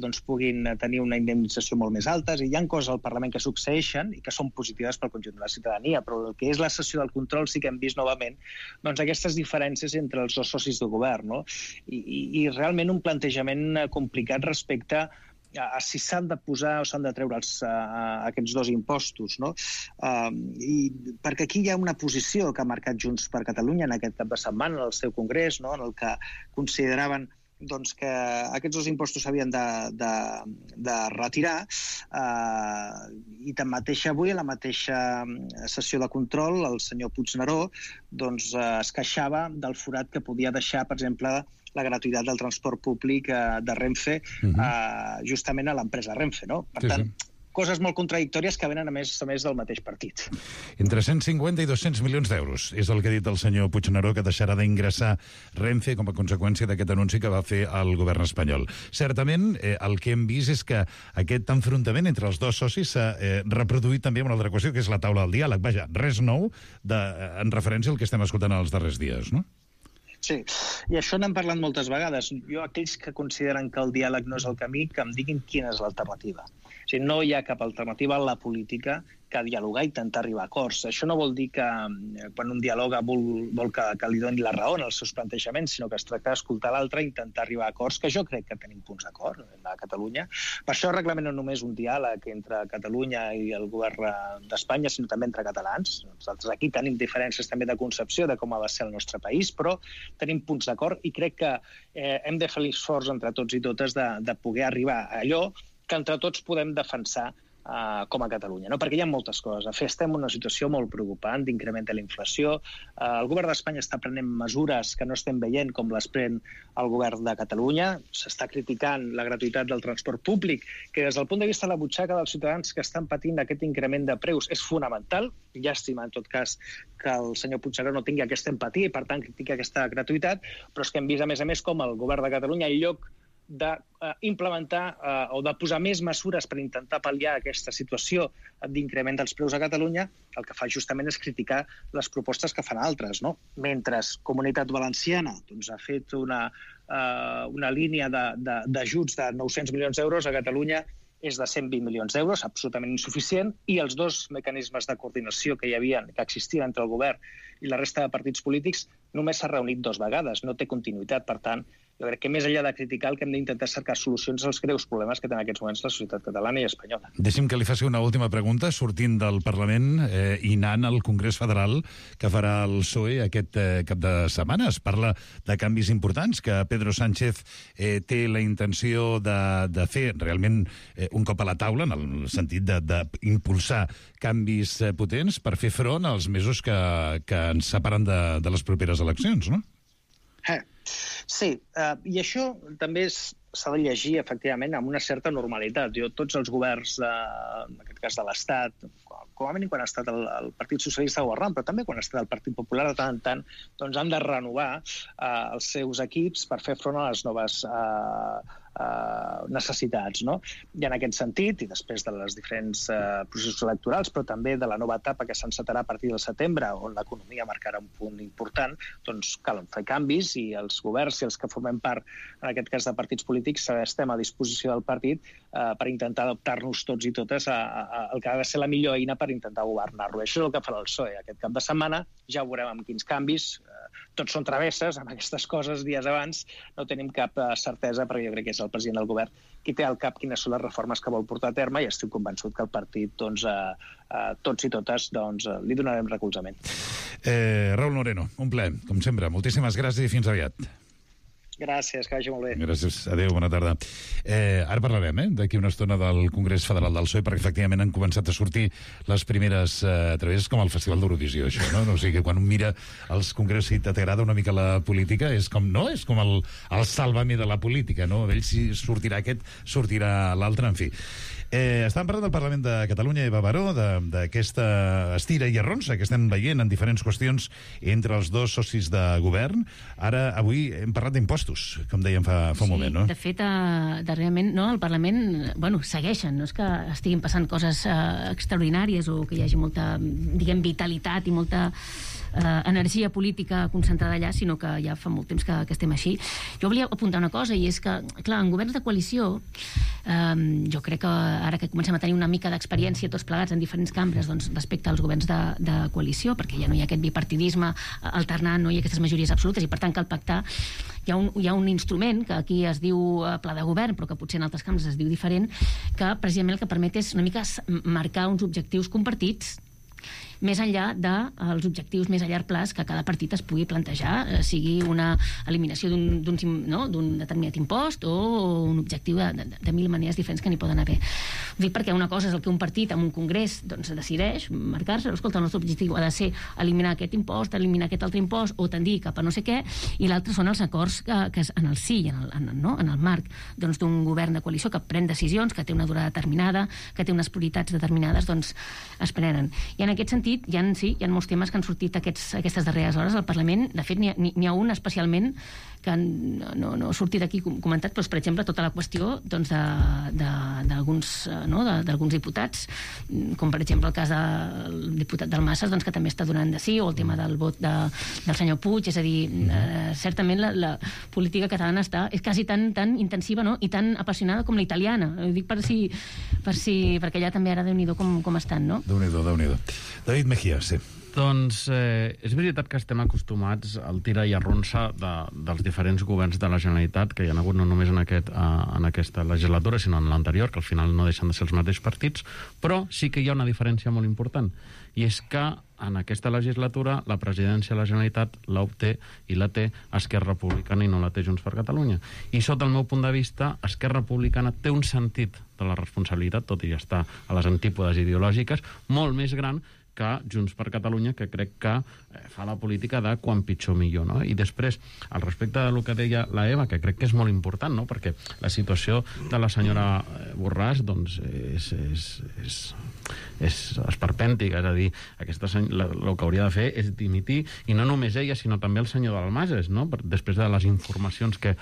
doncs puguin tenir una indemnització molt més alta. I hi ha coses al Parlament que succeeixen i que són positives pel conjunt de la ciutadania, però el que és la sessió del control sí que hem vist novament doncs, aquestes diferències entre els dos socis de govern, no? I realment un plantejament complicat respecte a si s'han de posar o s'han de treure aquests dos impostos, no? Perquè aquí hi ha una posició que ha marcat Junts per Catalunya en aquest cap de setmana al seu congrés, no?, en el que consideraven doncs, que aquests dos impostos s'havien de retirar i tanmateix avui a la mateixa sessió de control el senyor Puigneró doncs, es queixava del forat que podia deixar, per exemple, la gratuïtat del transport públic de Renfe justament a l'empresa Renfe, no? Per tant, coses molt contradictòries que venen a més del mateix partit.
Entre 150 i 200 milions d'euros és el que ha dit el senyor Puigneró que deixarà d'ingressar Renfe com a conseqüència d'aquest anunci que va fer el govern espanyol. Certament, el que hem vist és que aquest enfrontament entre els dos socis s'ha reproduït també amb una altra qüestió, que és la taula del diàleg. Vaja, res nou en referència al que estem escoltant els darrers dies, no?
Sí, i això n'hem parlat moltes vegades. Jo, aquells que consideren que el diàleg no és el camí, que em diguin quina és l'alternativa. O sigui, no hi ha cap alternativa a la política que dialogar i intentar arribar a acords. Això no vol dir que quan un dialoga vol que li doni la raó en els seus plantejaments, sinó que es tracta d'escoltar l'altre i intentar arribar a acords, que jo crec que tenim punts d'acord a Catalunya. Per això reclamem no només un diàleg entre Catalunya i el govern d'Espanya, sinó també entre catalans. Nosaltres aquí tenim diferències també de concepció de com ha de ser el nostre país, però tenim punts d'acord i crec que hem de fer l'esforç entre tots i totes de poder arribar a allò que entre tots podem defensar com a Catalunya, no? Perquè hi ha moltes coses. De fet, estem en una situació molt preocupant d'increment de la inflació. El govern d'Espanya està prenent mesures que no estem veient com les pren el govern de Catalunya. S'està criticant la gratuïtat del transport públic, que des del punt de vista de la butxaca dels ciutadans que estan patint aquest increment de preus és fonamental. Llàstima, en tot cas, que el senyor Puigneró no tingui aquesta empatia i, per tant, critica aquesta gratuïtat, però és que hem vist, a més, com el govern de Catalunya, en lloc d'implementar o de posar més mesures per intentar pal·liar aquesta situació d'increment dels preus a Catalunya, el que fa justament és criticar les propostes que fan altres, no? Mentre Comunitat Valenciana ha fet una línia d'ajuts de 900 milions d'euros, a Catalunya és de 120 milions d'euros, absolutament insuficient, i els dos mecanismes de coordinació que existien entre el govern i la resta de partits polítics només s'ha reunit 2 vegades, no té continuïtat. Per tant, jo crec que més enllà de criticar el que hem d'intentar cercar solucions als greus problemes que té en aquests moments la societat catalana i espanyola.
Deixi'm que li faci una última pregunta, sortint del Parlament i anant al Congrés Federal que farà el PSOE aquest cap de setmana. Es parla de canvis importants que Pedro Sánchez té la intenció de fer realment un cop a la taula, en el sentit d'impulsar canvis potents per fer front als mesos que ens separen de les properes eleccions, no?
Sí, i això també s'ha de llegir, efectivament, amb una certa normalitat. Tots els governs, en aquest cas de l'Estat, com a mínim quan ha estat el Partit Socialista governant, però també quan ha estat el Partit Popular, de tant en tant, doncs han de renovar els seus equips per fer front a les noves necessitats, no? I en aquest sentit, i després de les diferents processos electorals, però també de la nova etapa que s'encetarà a partir del setembre, on l'economia marcarà un punt important, doncs cal fer canvis, i els governs i els que formem part, en aquest cas de partits polítics, estem a disposició del partit per intentar adaptar-nos tots i totes al que ha de ser la millor eina per intentar governar-lo. Això és el que farà el PSOE aquest cap de setmana. Ja veurem amb quins canvis. Tots són travesses, amb aquestes coses dies abans. No tenim cap certesa, perquè jo crec que és el president del govern qui té al cap quines són les reformes que vol portar a terme, i estic convençut que el partit, tots i totes, li donarem recolzament.
Raúl Moreno, un plaer, com sempre. Moltíssimes gràcies i fins aviat.
Gràcies, que vagi molt bé.
Gràcies, adéu, bona tarda. Ara parlarem, d'aquí una estona del Congrés Federal del PSOE, perquè efectivament han començat a sortir les primeres travesses, com el Festival d'Eurovisió, això, no? O sigui que quan un mira els congressos i t'agrada una mica la política, és com, no? És com el Sálvame de la política, no? Ell si sortirà aquest, sortirà l'altre, en fi. Estàvem parlant del Parlament de Catalunya, Eva Baró, d'aquesta estira i arronsa que estem veient en diferents qüestions entre els dos socis de govern. Ara, avui, hem parlat d'impostos, com dèiem fa un moment, no?
De fet, darrerament, no, al Parlament, segueixen, no és que estiguin passant coses extraordinàries o que hi hagi molta, diguem, vitalitat i molta energia política concentrada allà, sinó que ja fa molt temps que estem així. Jo volia apuntar una cosa, i és que, clar, en governs de coalició, jo crec que ara que comencem a tenir una mica d'experiència tots plegats en diferents cambres, doncs, respecte als governs de coalició, perquè ja no hi ha aquest bipartidisme alternant, no hi ha aquestes majories absolutes, i per tant cal pactar. Hi ha un instrument que aquí es diu pla de govern, però que potser en altres cambres es diu diferent, que precisament el que permet és una mica marcar uns objectius compartits més enllà dels objectius més a llarg plaç que cada partit es pugui plantejar, sigui una eliminació d'un determinat impost o un objectiu de mil maneres diferents que n'hi poden haver. Ho dic perquè una cosa és el que un partit en un congrés decideix marcar-se, escolta, el nostre objectiu ha de ser eliminar aquest impost, eliminar aquest altre impost o tendir cap a no sé què, i l'altre són els acords que en el si, en el marc d'un govern de coalició que pren decisions, que té una durada determinada, que té unes prioritats determinades, doncs es prenen. I en aquest sentit hi ha molts temes que han sortit aquestes darreres hores al Parlament. De fet, n'hi ha un especialment que no ha sortit aquí comentat, però és, per exemple, tota la qüestió d'alguns diputats, com per exemple el cas del diputat Dalmases, que també està donant de sí, o el tema del vot del senyor Puig. És a dir, certament la política catalana és quasi tan intensiva, no?, i tan apassionada com la italiana. Ho dic perquè allà també ara Déu-n'hi-do com estan, no?
Déu-n'hi-do. David Mejía, sí.
Doncs és veritat que estem acostumats al tira i arronsa dels diferents governs de la Generalitat, que hi ha hagut no només en aquesta legislatura, sinó en l'anterior, que al final no deixen de ser els mateixos partits, però sí que hi ha una diferència molt important, i és que en aquesta legislatura la presidència de la Generalitat l'obté i la té Esquerra Republicana i no la té Junts per Catalunya. I sota el meu punt de vista, Esquerra Republicana té un sentit de la responsabilitat, tot i estar a les antípodes ideològiques, molt més gran que Junts per Catalunya, que crec que fa la política de quan pitjor millor, no? I després, al respecte del que deia la Eva, que crec que és molt important, no? Perquè la situació de la senyora Borràs, doncs, és esperpèntica, és a dir, el que hauria de fer és dimitir, i no només ella, sinó també el senyor Dalmases, no? Després de les informacions que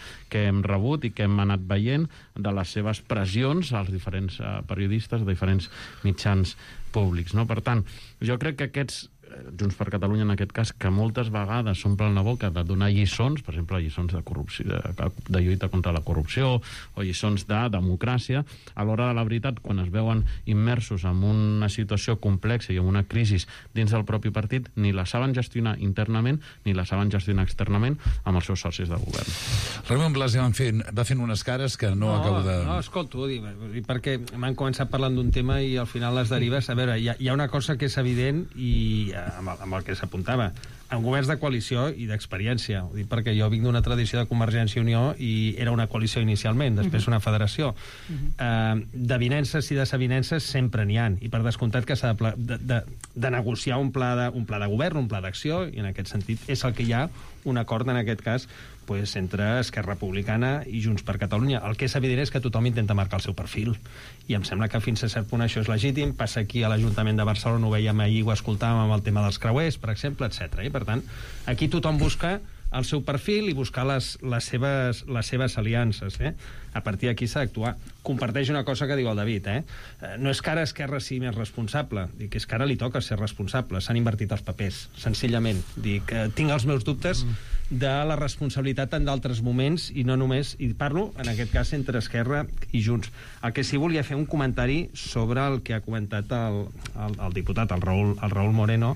hem rebut i que hem anat veient de les seves pressions als diferents periodistes de diferents mitjans públics, no? Per tant, jo crec que aquests Junts per Catalunya, en aquest cas, que moltes vegades s'omplen la boca de donar lliçons, per exemple, lliçons de corrupció, de lluita contra la corrupció, o lliçons de democràcia, a l'hora de la veritat, quan es veuen immersos en una situació complexa i en una crisi dins del propi partit, ni la saben gestionar internament, ni la saben gestionar externament amb els seus socis de govern.
Ramon Blas va fent unes cares que no acabo de...
No, escolto, perquè m'han començat parlant d'un tema i al final les derives... A veure, hi ha una cosa que és evident i amb el que s'apuntava, en governs de coalició i d'experiència. Ho dic perquè jo vinc d'una tradició de Convergència i Unió i era una coalició inicialment, després una federació. D'avinences i desavinences sempre n'hi ha, i per descomptat que s'ha de negociar un pla de govern, un pla d'acció, i en aquest sentit és el que hi ha un acord, en aquest cas, entre Esquerra Republicana i Junts per Catalunya. El que és evident és que tothom intenta marcar el seu perfil, i em sembla que fins a cert punt això és legítim. Passa aquí a l'Ajuntament de Barcelona, ho veiem ahir, ho escoltàvem amb el tema dels creuers, per exemple, etc. I per tant, aquí tothom busca el seu perfil i buscar les seves aliances. A partir d'aquí s'ha d'actuar. Comparteix una cosa que diu el David. No és que ara Esquerra sigui més responsable, dic que és que ara li toca ser responsable. S'han invertit els papers, senzillament. Dic, tinc els meus dubtes de la responsabilitat en d'altres moments, i no només, i parlo en aquest cas entre Esquerra i Junts. El que sí volia fer un comentari sobre el que ha comentat el diputat, el Raúl Moreno,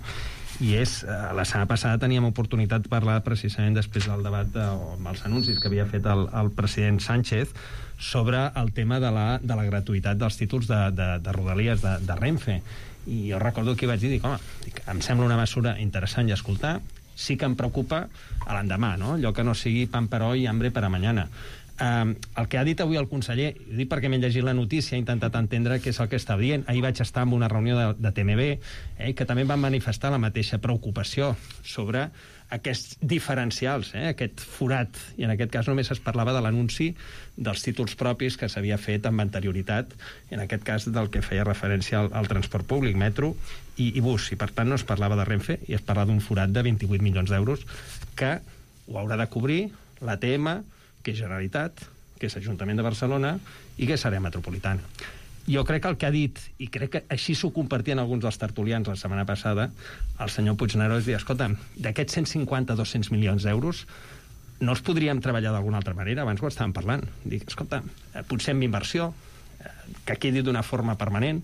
i és, la setmana passada teníem oportunitat de parlar precisament després del debat amb els anuncis que havia fet el president Sánchez sobre el tema de la gratuïtat dels títols de Rodalies de Renfe. I jo recordo que vaig dir, em sembla una mesura interessant i escoltar, sí que em preocupa a l'endemà, no? Allò que no sigui pan per hoy i hambre per a mañana. El que ha dit avui el conseller, ho dic perquè m'he llegit la notícia, he intentat entendre què és el que està dient. Ahir vaig estar en una reunió de TMB, que també van manifestar la mateixa preocupació sobre aquests diferencials, aquest forat, i en aquest cas només es parlava de l'anunci dels títols propis que s'havia fet amb anterioritat, en aquest cas del que feia referència al transport públic, metro i bus, i per tant no es parlava de Renfe i es parlava d'un forat de 28 milions d'euros que ho haurà de cobrir l'ATM, que és Generalitat, que és Ajuntament de Barcelona i que és àrea metropolitana. Jo crec que el que ha dit, i crec que així s'ho compartien alguns dels tertulians la setmana passada, el senyor Puigneró és dir, escolta, d'aquests 150-200 milions d'euros no els podríem treballar d'alguna altra manera? Abans ho estàvem parlant. Dic, escolta, potser amb inversió, que quedi d'una forma permanent,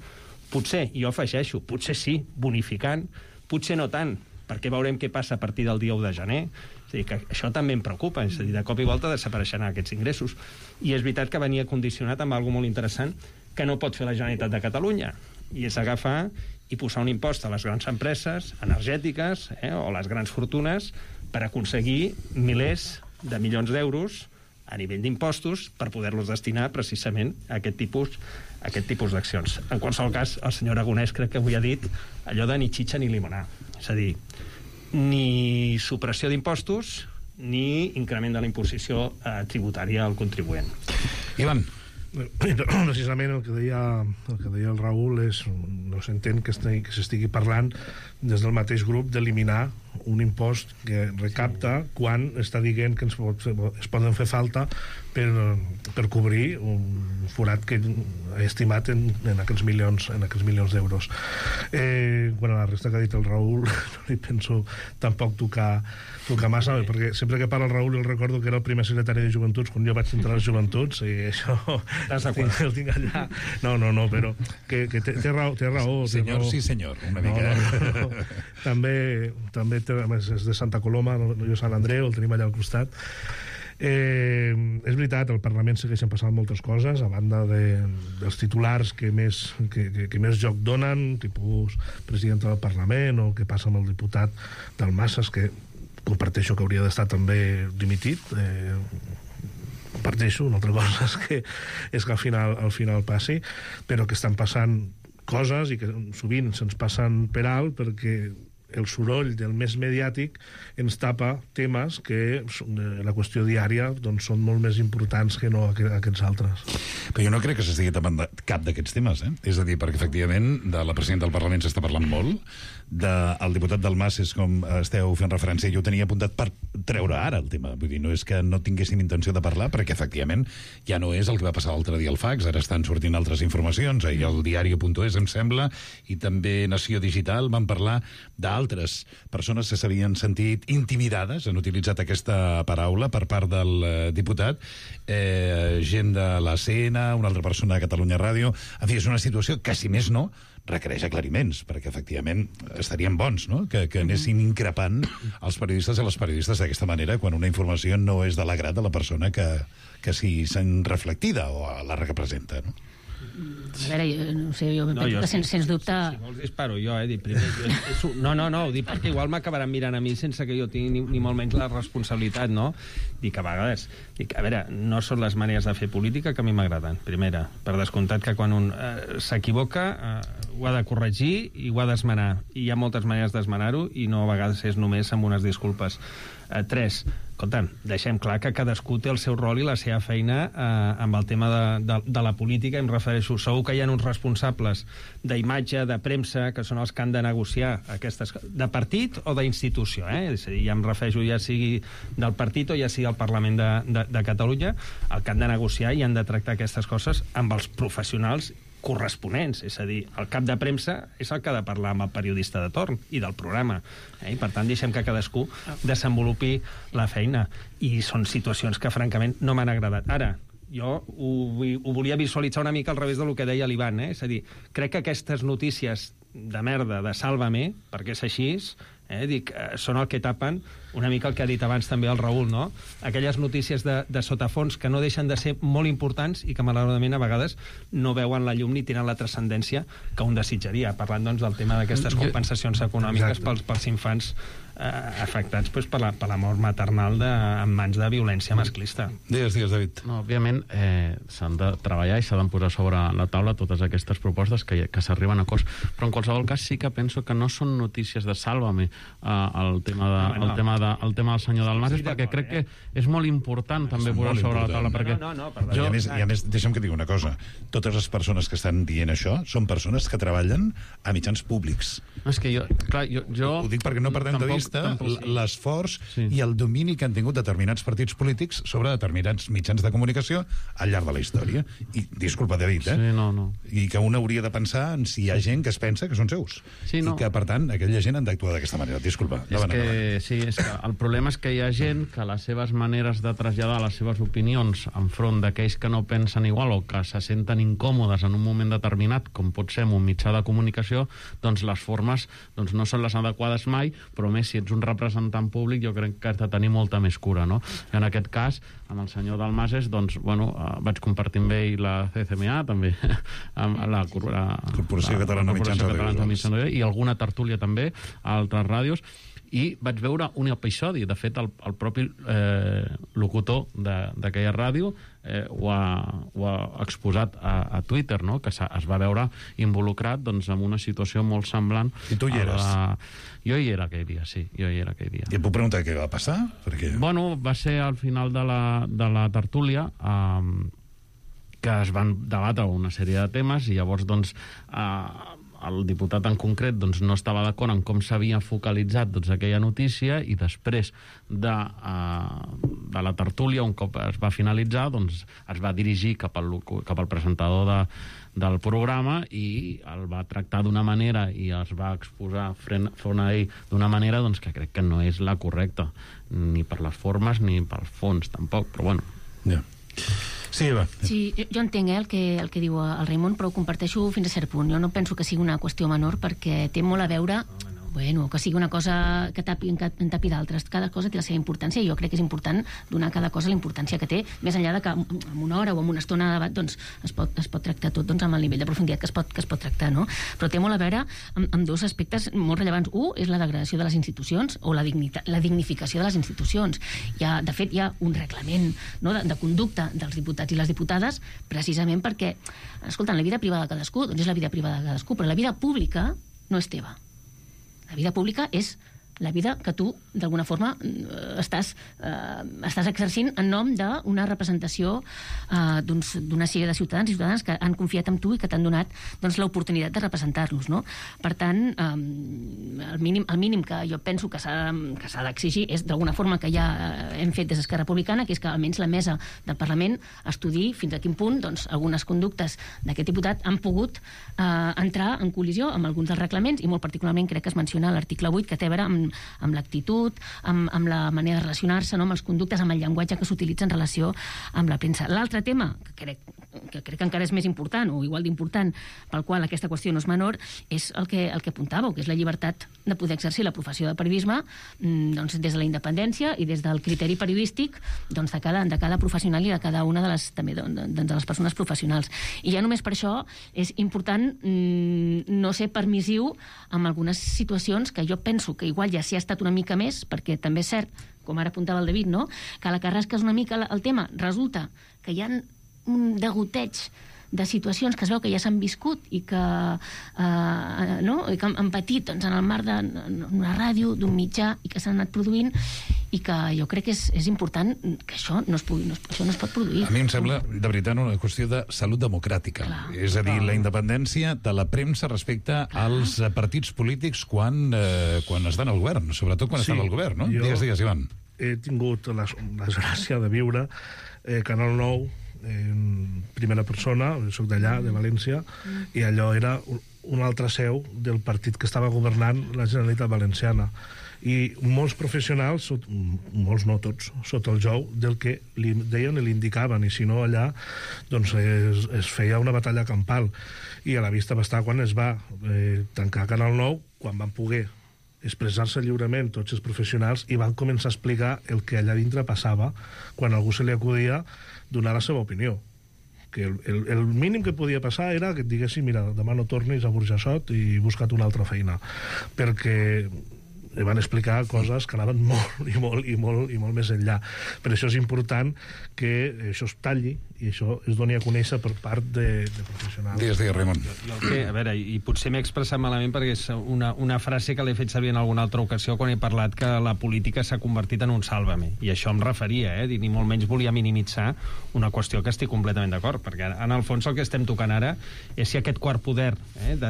potser, i jo afegeixo, potser sí, bonificant, potser no tant, perquè veurem què passa a partir del dia 1 de gener. És a dir, que això també em preocupa, és a dir, de cop i volta desapareixeran aquests ingressos. I és veritat que venia condicionat amb alguna molt interessant que no pot fer la Generalitat de Catalunya, i és agafar i posar un impost a les grans empreses energètiques o les grans fortunes per aconseguir milers de milions d'euros a nivell d'impostos per poder-los destinar precisament a aquest tipus d'accions. En qualsevol cas, el senyor Aragonès crec que avui ha dit allò de ni xitxa ni limonar. És a dir, ni supressió d'impostos ni increment de la imposició tributària al contribuent.
Ivan.
Precisament el que deia el Raül és, no s'entén que s'estigui parlant des del mateix grup d'eliminar un impost que recapta quan està dient que es poden fer falta per cobrir un forat que he estimat en aquests milions d'euros. Quan a la resta que ha dit el Raül no li penso tampoc tocar massa, perquè sempre que parla el Raül el recordo que era el primer secretari de Joventuts quan jo vaig entrar a les Joventuts, i això el tinc allà. No, però que té raó.
Senyor, sí senyor, una mica.
No. També és de Santa Coloma, jo Sant Andreu, el tenim allà al costat. És veritat, al Parlament segueixen passant moltes coses, a banda dels titulars que més joc donen, tipus president del Parlament, o el que passa amb el diputat Dalmases, que comparteixo que hauria d'estar també dimitit, comparteixo, una altra cosa és que al final passi, però que estan passant coses i que sovint se'ns passen per alt perquè el soroll del més mediàtic ens tapa temes que la qüestió diària doncs, són molt més importants que no aquests altres.
Però jo no crec que s'estigui tapant cap d'aquests temes, És a dir, perquè efectivament de la presidenta del Parlament s'està parlant molt, del diputat Dalmases, com esteu fent referència, jo ho tenia apuntat per treure ara el tema. Vull dir, no és que no tinguéssim intenció de parlar, perquè efectivament ja no és el que va passar l'altre dia al fax, ara estan sortint altres informacions, ahir el diari.es, em sembla, i també Nació Digital van parlar d'altres persones que s'havien sentit intimidades, han utilitzat aquesta paraula per part del diputat, gent de la CN, una altra persona de Catalunya Ràdio. En fi, és una situació que, si més no, requereix aclariments, perquè efectivament estarien bons, no?, que anessin increpant els periodistes i les periodistes d'aquesta manera quan una informació no és de l'agrat de la persona que s'hi sent reflectida o la representa, no?
A veure, no sé, jo penso que sens dubte...
Si vols disparo jo, dic primer. No, ho dic perquè igual m'acabaran mirant a mi sense que jo tingui ni molt menys la responsabilitat, no? Dic, a vegades... a veure, no són les maneres de fer política que a mi m'agraden, primera. Per descomptat que quan un s'equivoca ho ha de corregir i ho ha d'esmenar. I hi ha moltes maneres d'esmenar-ho i no a vegades és només amb unes disculpes. 3. Escolta'm, deixem clar que cadascú té el seu rol i la seva feina amb el tema de la política. Em refereixo, segur que hi ha uns responsables d'imatge, de premsa, que són els que han de negociar aquestes de partit o d'institució, És a dir, ja em refereixo ja sigui del partit o ja sigui del Parlament de Catalunya, el que han de negociar i han de tractar aquestes coses amb els professionals corresponents, és a dir, el cap de premsa és el que ha de parlar amb el periodista de torn i del programa, i per tant deixem que cadascú desenvolupi la feina, i són situacions que francament no m'han agradat. Ara, jo ho volia visualitzar una mica al revés del que deia l'Ivan, és a dir, crec que aquestes notícies de merda, de Sálvame, perquè és així, dic, són el que tapen una mica el que ha dit abans també el Raül, no? Aquelles notícies de sotafons que no deixen de ser molt importants i que malauradament a vegades no veuen la llum ni tenen la transcendència que un desitjaria, parlant doncs del tema d'aquestes compensacions econòmiques pels infants afectats per la mort maternal en mans de violència masclista.
Digues, David.
No, òbviament s'han de treballar i s'han de posar sobre la taula totes aquestes propostes que s'arriben a acords, però en qualsevol cas sí que penso que no són notícies de Sálvame el tema del senyor Dalmases, perquè crec que és molt important també posar sobre la taula, perquè...
I a més, deixa'm que digui una cosa, totes les persones que estan dient això són persones que treballen a mitjans públics.
És que jo
ho dic perquè no perdem de vista l'esforç i el domini que han tingut determinats partits polítics sobre determinats mitjans de comunicació al llarg de la història. I, disculpa, David,
Sí, no.
I que un hauria de pensar en si hi ha gent que es pensa que són seus.
Sí, no.
I que, per tant, aquella gent han d'actuar d'aquesta manera. Disculpa.
Sí, és que el problema és que hi ha gent que les seves maneres de traslladar les seves opinions enfront d'aquells que no pensen igual o que se senten incòmodes en un moment determinat, com pot ser en un mitjà de comunicació, doncs les formes no són les adequades mai, però més si ets un representant públic jo crec que has de tenir molta més cura, no? En aquest cas, amb el senyor Dalmases, doncs, vaig compartir amb ell la CCMA, també, amb la
Corporació Catalana de Mitjans Audiovisuals,
i alguna tertúlia també a altres ràdios, i vaig veure un episodi, de fet el propi locutor d'aquella ràdio ho ha exposat a Twitter, no? Que es va veure involucrat doncs, en una situació molt semblant.
I tu hi eres?
Jo hi era aquell dia, sí, jo hi era aquell dia.
I et puc preguntar què va passar? Perquè...
Va ser al final de la tertúlia que es van debatre una sèrie de temes i llavors doncs el diputat en concret doncs, no estava d'acord en com s'havia focalitzat doncs, aquella notícia i després de la tertúlia, un cop es va finalitzar, doncs, es va dirigir cap al presentador del programa i el va tractar d'una manera i es va exposar front a ell d'una manera doncs, que crec que no és la correcta, ni per les formes ni pel fons, tampoc, però bueno.
Ja. Sí, Eva.
Sí, jo entenc el que diu el Raimon, però ho comparteixo fins a cert punt. Jo no penso que sigui una qüestió menor perquè té molt a veure... bueno, que sigui una cosa que tapi d'altres. Cada cosa té la seva importància i jo crec que és important donar a cada cosa la importància que té, més enllà de que en una hora o en una estona de debat doncs, es pot tractar tot amb el nivell de profunditat que es pot tractar, no? Però té molt a veure amb dos aspectes molt rellevants. Un és la degradació de les institucions o la dignificació de les institucions. De fet, hi ha un reglament, no, de conducta dels diputats i les diputades precisament perquè, escolta, la vida privada de cadascú doncs és la vida privada de cadascú, però la vida pública no és teva. La vida pública és la vida que tu, d'alguna forma, estàs exercint en nom d'una representació d'una sèrie de ciutadans i ciutadanes que han confiat en tu i que t'han donat l'oportunitat de representar-los, no? Per tant, el mínim que jo penso que s'ha d'exigir és, d'alguna forma, que ja hem fet des d'Esquerra Republicana, que és que almenys la mesa del Parlament estudiï fins a quin punt algunes conductes d'aquest diputat han pogut entrar en col·lisió amb alguns dels reglaments, i molt particularment crec que es menciona l'article 8, que té a veure amb l'actitud, amb la manera de relacionar-se, no? Amb els conductes, amb el llenguatge que s'utilitza en relació amb la premsa. L'altre tema, que crec que encara és més important, o igual d'important, pel qual aquesta qüestió no és menor, és el que apuntàveu, que és la llibertat de poder exercir la professió de periodisme des de la independència i des del criteri periodístic de cada professional i de cada una de les persones professionals. I ja només per això és important no ser permissiu amb algunes situacions que jo penso que igual ja s'hi ha estat una mica més, perquè també és cert, com ara apuntava el David, no? Que la carrasca és una mica el tema. Resulta que hi ha un degoteig de situacions que es veu que ja s'han viscut i que han patit en el marc d'una ràdio, d'un mitjà, i que s'han anat produint, i que jo crec que és important que això no es pot produir.
A mi em sembla, de veritat, una qüestió de salut democràtica. Clar, és a dir, la independència de la premsa respecte als partits polítics quan estan al govern, sobretot quan estan al govern, no? Digues, Ivan.
He tingut la desgràcia de viure Canal 9 en primera persona, soc d'allà, de València, i allò era una altra seu del partit que estava governant la Generalitat Valenciana. I molts professionals, molts no tots, sota el jou del que li deien i li indicaven, i si no allà doncs es feia una batalla campal. I a la vista va estar quan es va tancar Canal 9, quan van poder expressar-se lliurement tots els professionals i van començar a explicar el que allà dintre passava quan a algú se li acudia donar la seva opinió. Que el mínim que podia passar era que et diguessin, mira, demà no tornis a Burjassot i busca't una altra feina, perquè van explicar coses que anaven molt més enllà. Per això és important que això es talli i això es doni a conèixer per part de professionals.
Digues, Raimon.
A veure, i potser m'he expressat malament perquè és una frase que l'he fet servir en alguna altra ocasió quan he parlat que la política s'ha convertit en un sàlvame. I això em referia, ni molt menys volia minimitzar una qüestió que estic completament d'acord, perquè en el fons el que estem tocant ara és si aquest quart poder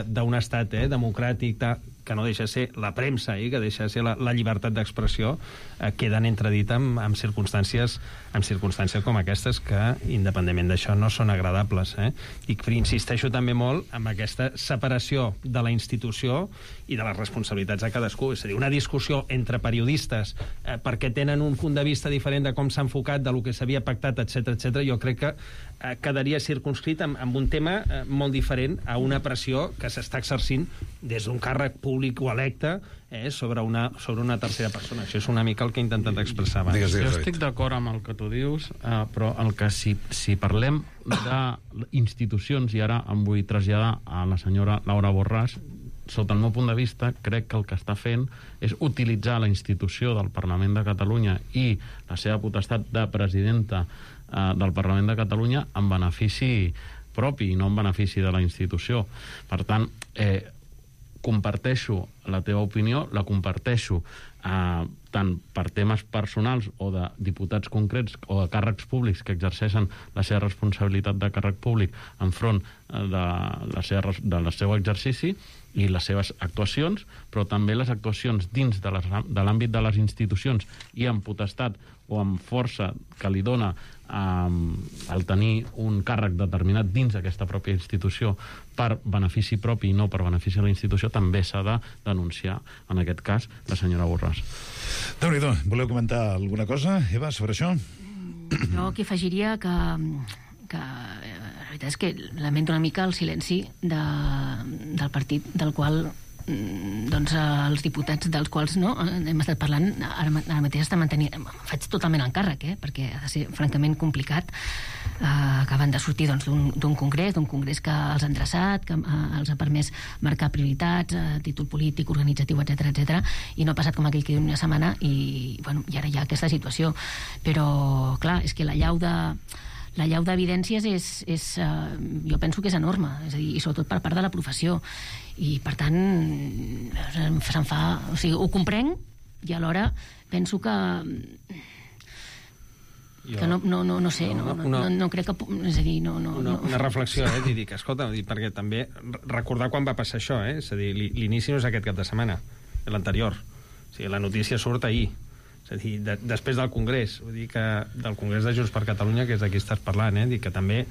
d'un estat democràtic que no deixa de ser la premsa i que deixa de ser la llibertat d'expressió, queden entredit amb circumstàncies com aquestes que, independentment d'això, no són agradables. I insisteixo també molt en aquesta separació de la institució i de les responsabilitats de cadascú. És a dir, una discussió entre periodistes perquè tenen un punt de vista diferent de com s'ha enfocat, de lo que s'havia pactat, etc., jo crec que quedaria circunscrit amb un tema molt diferent a una pressió que s'està exercint des d'un càrrec públic o electe sobre una tercera persona. Això és una mica el que he intentat expressar abans.
Jo estic d'acord amb el que tu dius, però el que si parlem d'institucions, i ara em vull traslladar a la senyora Laura Borràs, sota el meu punt de vista, crec que el que està fent és utilitzar la institució del Parlament de Catalunya i la seva potestat de presidenta del Parlament de Catalunya en benefici propi i no en benefici de la institució. Per tant, comparteixo la teva opinió, la comparteixo tant per temes personals o de diputats concrets o de càrrecs públics que exerceixen la seva responsabilitat de càrrec públic enfront del seu exercici i les seves actuacions, però també les actuacions dins de l'àmbit de les institucions i amb potestat o amb força que li dona el tenir un càrrec determinat dins d'aquesta pròpia institució per benefici propi i no per benefici de la institució, també s'ha de denunciar, en aquest cas, la senyora Borràs.
Déu-n'hi-do, voleu comentar alguna cosa, Eva, sobre això?
Jo que afegiria que la veritat és que lamento una mica el silenci del partit del qual doncs els diputats dels quals hem estat parlant ara mateix faig totalment encàrrec, perquè ha de ser francament complicat. Acaben de sortir d'un congrés que els ha endreçat, que els ha permès marcar prioritats a títol polític, organitzatiu, etc, i no ha passat com aquell que diu una setmana i ara hi ha aquesta situació. Però, clar, és que la llau d'evidències jo penso que és enorme, és a dir, i sobretot per part de la professió, i per tant se'n fa... O sigui, ho comprenc i alhora penso que no sé, no crec que... És a dir, no...
Una reflexió, dic, escolta, perquè també recordar quan va passar això, és a dir, l'inici no és aquest cap de setmana, és l'anterior. O sigui, la notícia surt ahir. És a dir, després del Congrés, vull dir que del Congrés de Junts per Catalunya, que és de qui estàs parlant, dic que també,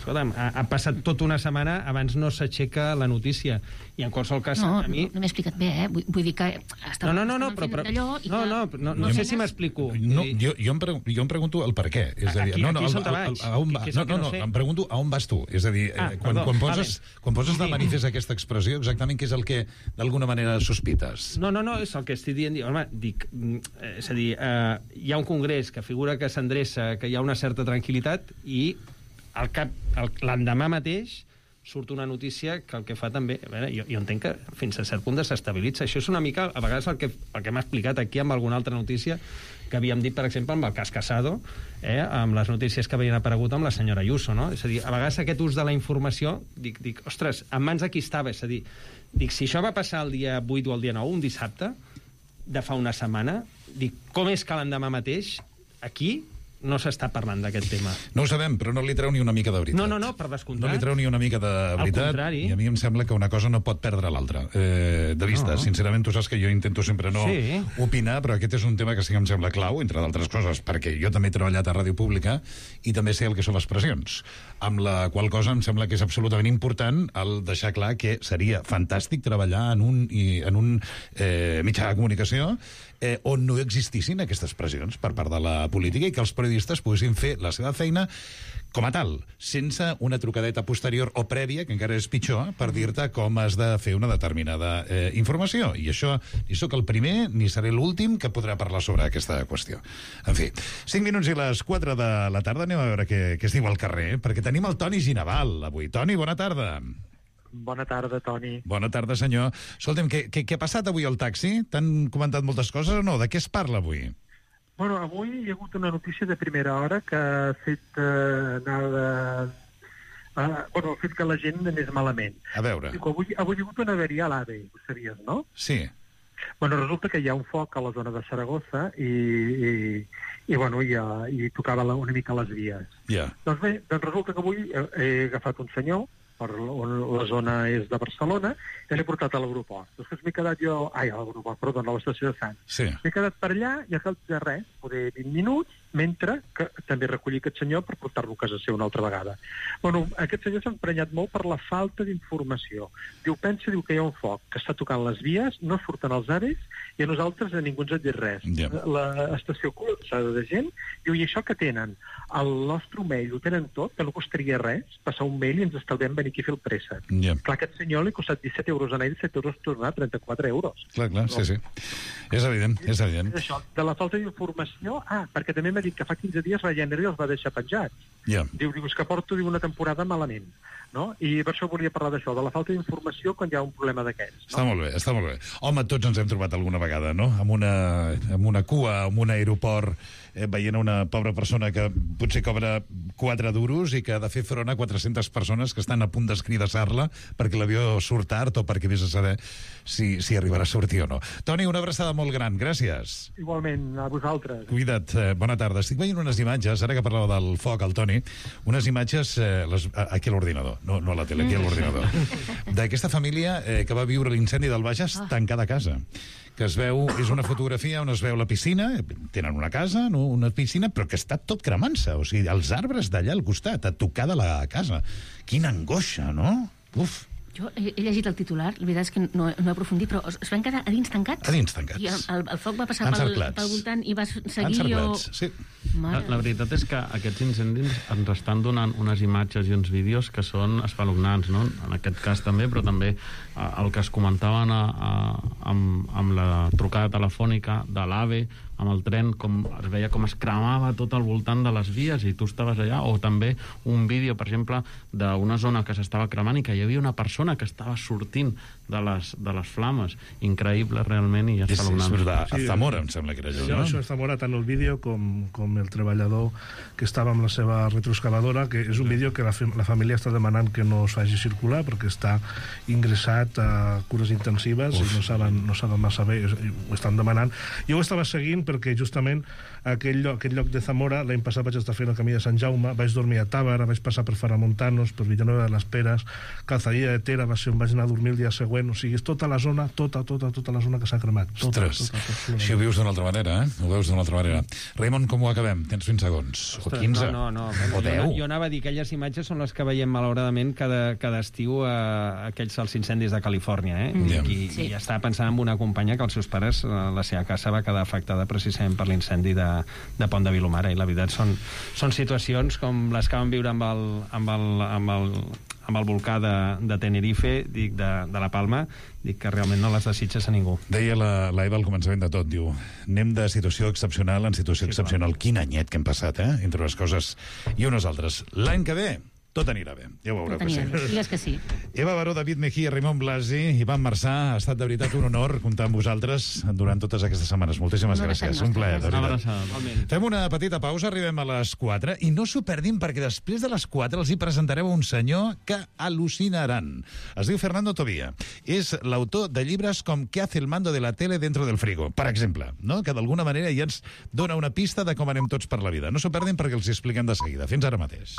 escolta'm, ha passat tota una setmana abans no s'aixeca la notícia, i en qualsevol cas a mi...
No m'he explicat bé, vull dir que
no sé si m'explico.
Jo em pregunto el per què, és a dir, em pregunto a on vas tu, és a dir, quan poses de manifest aquesta expressió, exactament què és el que d'alguna manera sospites?
No, és el que estic dient, home, dic, és a dir, hi ha un congrés que figura que s'endreça, que hi ha una certa tranquil·litat, i l'endemà mateix surt una notícia que el que fa també... Jo entenc que fins a cert punt desestabilitza. Això és una mica, a vegades, el que m'ha explicat aquí amb alguna altra notícia que havíem dit, per exemple, amb el cas Casado, amb les notícies que havien aparegut amb la senyora Ayuso, no? És a dir, a vegades aquest ús de la informació, dic, ostres, en mans de qui estava? És a dir, dic, si això va passar el dia 8 o el dia 9, un dissabte, de fa una setmana, dic, com és que l'endemà mateix, aquí... no s'està parlant d'aquest tema.
No ho sabem, però no li treu ni una mica de veritat.
No, per descomptat.
No li treu ni una mica de veritat.
Al contrari.
I a mi em sembla que una cosa no pot perdre l'altra. De vista, sincerament, tu saps que jo intento sempre no opinar, però aquest és un tema que sí que em sembla clau, entre d'altres coses, perquè jo també he treballat a Ràdio Pública i també sé el que són les pressions, amb la qual cosa em sembla que és absolutament important el deixar clar que seria fantàstic treballar en un mitjà de comunicació on no existissin aquestes pressions per part de la política i que els periodistes poguessin fer la seva feina com a tal, sense una trucadeta posterior o prèvia, que encara és pitjor, per dir-te com has de fer una determinada informació. I això, ni sóc el primer ni seré l'últim que podrà parlar sobre aquesta qüestió. En fi, 5 minuts i les 4 de la tarda, anem a veure què es diu al carrer, perquè tenim el Toni Ginaval avui. Toni, bona tarda.
Bona tarda, Toni.
Bona tarda, senyor. Escolta'm, què ha passat avui al taxi? T'han comentat moltes coses o no? De què es parla avui?
Bueno, avui hi ha hagut una notícia de primera hora que ha fet ha fet que la gent anés malament.
A veure.
Avui hi ha hagut una avaria a l'AVE, ho sabies, no?
Sí.
Bueno, resulta que hi ha un foc a la zona de Saragossa i tocava una mica les vies.
Ja.
Doncs bé, resulta que avui he agafat un senyor on la zona és de Barcelona, i l'he portat a l'aeroport. Després m'he quedat jo... a l'estació de Sants.
Sí.
M'he quedat per allà i al cap de res, poder 20 minuts, mentre que també recollir aquest senyor per portar-lo a casa seva una altra vegada. Bueno, aquest senyor s'ha emprenyat molt per la falta d'informació. Diu que hi ha un foc, que està tocant les vies, no surten els avis, i a nosaltres a ningú ens ha dit res.
Yeah.
L'estació col·lapsada de gent, diu, i això que tenen? El nostre mail ho tenen tot, que no costaria res, passar un mail i ens estalviem venir aquí a fer el préssec.
Yeah.
Clar, aquest senyor li ha costat 17 euros anar i 17 euros tornar, 34 euros.
Clar, sí. És evident.
És això, de la falta d'informació... perquè també m'ha dit que fa 15 dies Ryanair els va deixar penjats.
Yeah.
Diu, és que porto una temporada malament. No? I per això volia parlar d'això, de la falta d'informació quan hi ha un problema d'aquests. No?
Està molt bé. Home, tots ens hem trobat alguna vegada, no? Amb una cua, amb un aeroport, veient una pobra persona que potser cobra 4 duros i que ha de fer front a 400 persones que estan a punt d'escridassar-la perquè l'avió surt tard o perquè vés a saber si arribarà a sortir o no. Toni, una abraçada molt gran. Gràcies.
Igualment, a vosaltres.
Cuida't. Bona tarda. Estic veient unes imatges, ara que parlava del foc, el Toni, unes imatges aquí a l'ordinador, no a la tele, aquí a l'ordinador, d'aquesta família que va viure l'incendi del Bages tancada a casa, que es veu, és una fotografia on es veu la piscina, tenen una casa, no? Una piscina, però que està tot cremant-se, o sigui, els arbres d'allà al costat, a tocar de la casa. Quina angoixa, no? Uf.
Jo he llegit el titular, la veritat és que no he aprofundit, però es van quedar a dins tancats?
A dins tancats.
I el foc va passar pel voltant i va seguir...
Encerclats, sí.
La veritat és que aquests incendis ens estan donant unes imatges i uns vídeos que són espeluznants, no? En aquest cas també, però també el que es comentaven amb la trucada telefònica de l'AVE, amb el tren, com es veia com es cremava tot al voltant de les vies i tu estaves allà, o també un vídeo, per exemple, d'una zona que s'estava cremant i que hi havia una persona que estava sortint de les flames. Increïble, realment, i espeluznant.
És a Zamora, em sembla que era allò, no?
Això és Zamora, tant el vídeo com el treballador que estava amb la seva retroexcavadora, que és un vídeo que la família està demanant que no es faci circular perquè està ingressat a cures intensives i no saben massa bé, ho estan demanant. Jo ho estava seguint perquè justament aquell lloc de Zamora, l'any passat vaig estar fent el camí de Sant Jaume, vaig dormir a Tàbara, vaig passar per Faramontanos, per Villanueva de les Peres, Calzadilla de Tera va ser on vaig anar a dormir el dia següent, o sigui, és tota la zona, tota la zona que s'ha cremat.
Ostres, així ho vius d'una altra manera, eh? Ho veus d'una altra manera. Raimon, com ho acabem? Tens 20 segons. O 15?
No.
O 10?
Jo anava a dir, aquelles imatges són les que veiem malauradament cada estiu a aquells als incendis de Califòrnia, i estava pensant en una companya que els seus pares, la seva casa va quedar afectada precisament per l'incendi de Pont de Vilomara, i la veritat són situacions com les que vam viure amb el volcà de Tenerife, dic, de la Palma, dic que realment no les desitges a ningú.
Deia l'Eva al començament de tot, diu, anem de situació excepcional en situació excepcional. Quin anyet que hem passat, entre unes coses i unes altres. L'any que ve tot anirà bé, ja ho veureu que sí.
Digues que sí.
Eva Baró, David Mejía, Raimon Blasi, Ivan Marçà, ha estat de veritat un honor comptar amb vosaltres durant totes aquestes setmanes. Moltíssimes gràcies. Un plaer, de veritat. Fem una petita pausa, arribem a les 4, i no s'ho perdin perquè després de les 4 els hi presentareu un senyor que al·lucinaran. Es diu Fernando Tobía. És l'autor de llibres com ¿Qué hace el mando de la tele dentro del frigo? Per exemple, no? Que d'alguna manera ja ens dona una pista de com anem tots per la vida. No s'ho perdin perquè els hi expliquem de seguida. Fins ara mateix.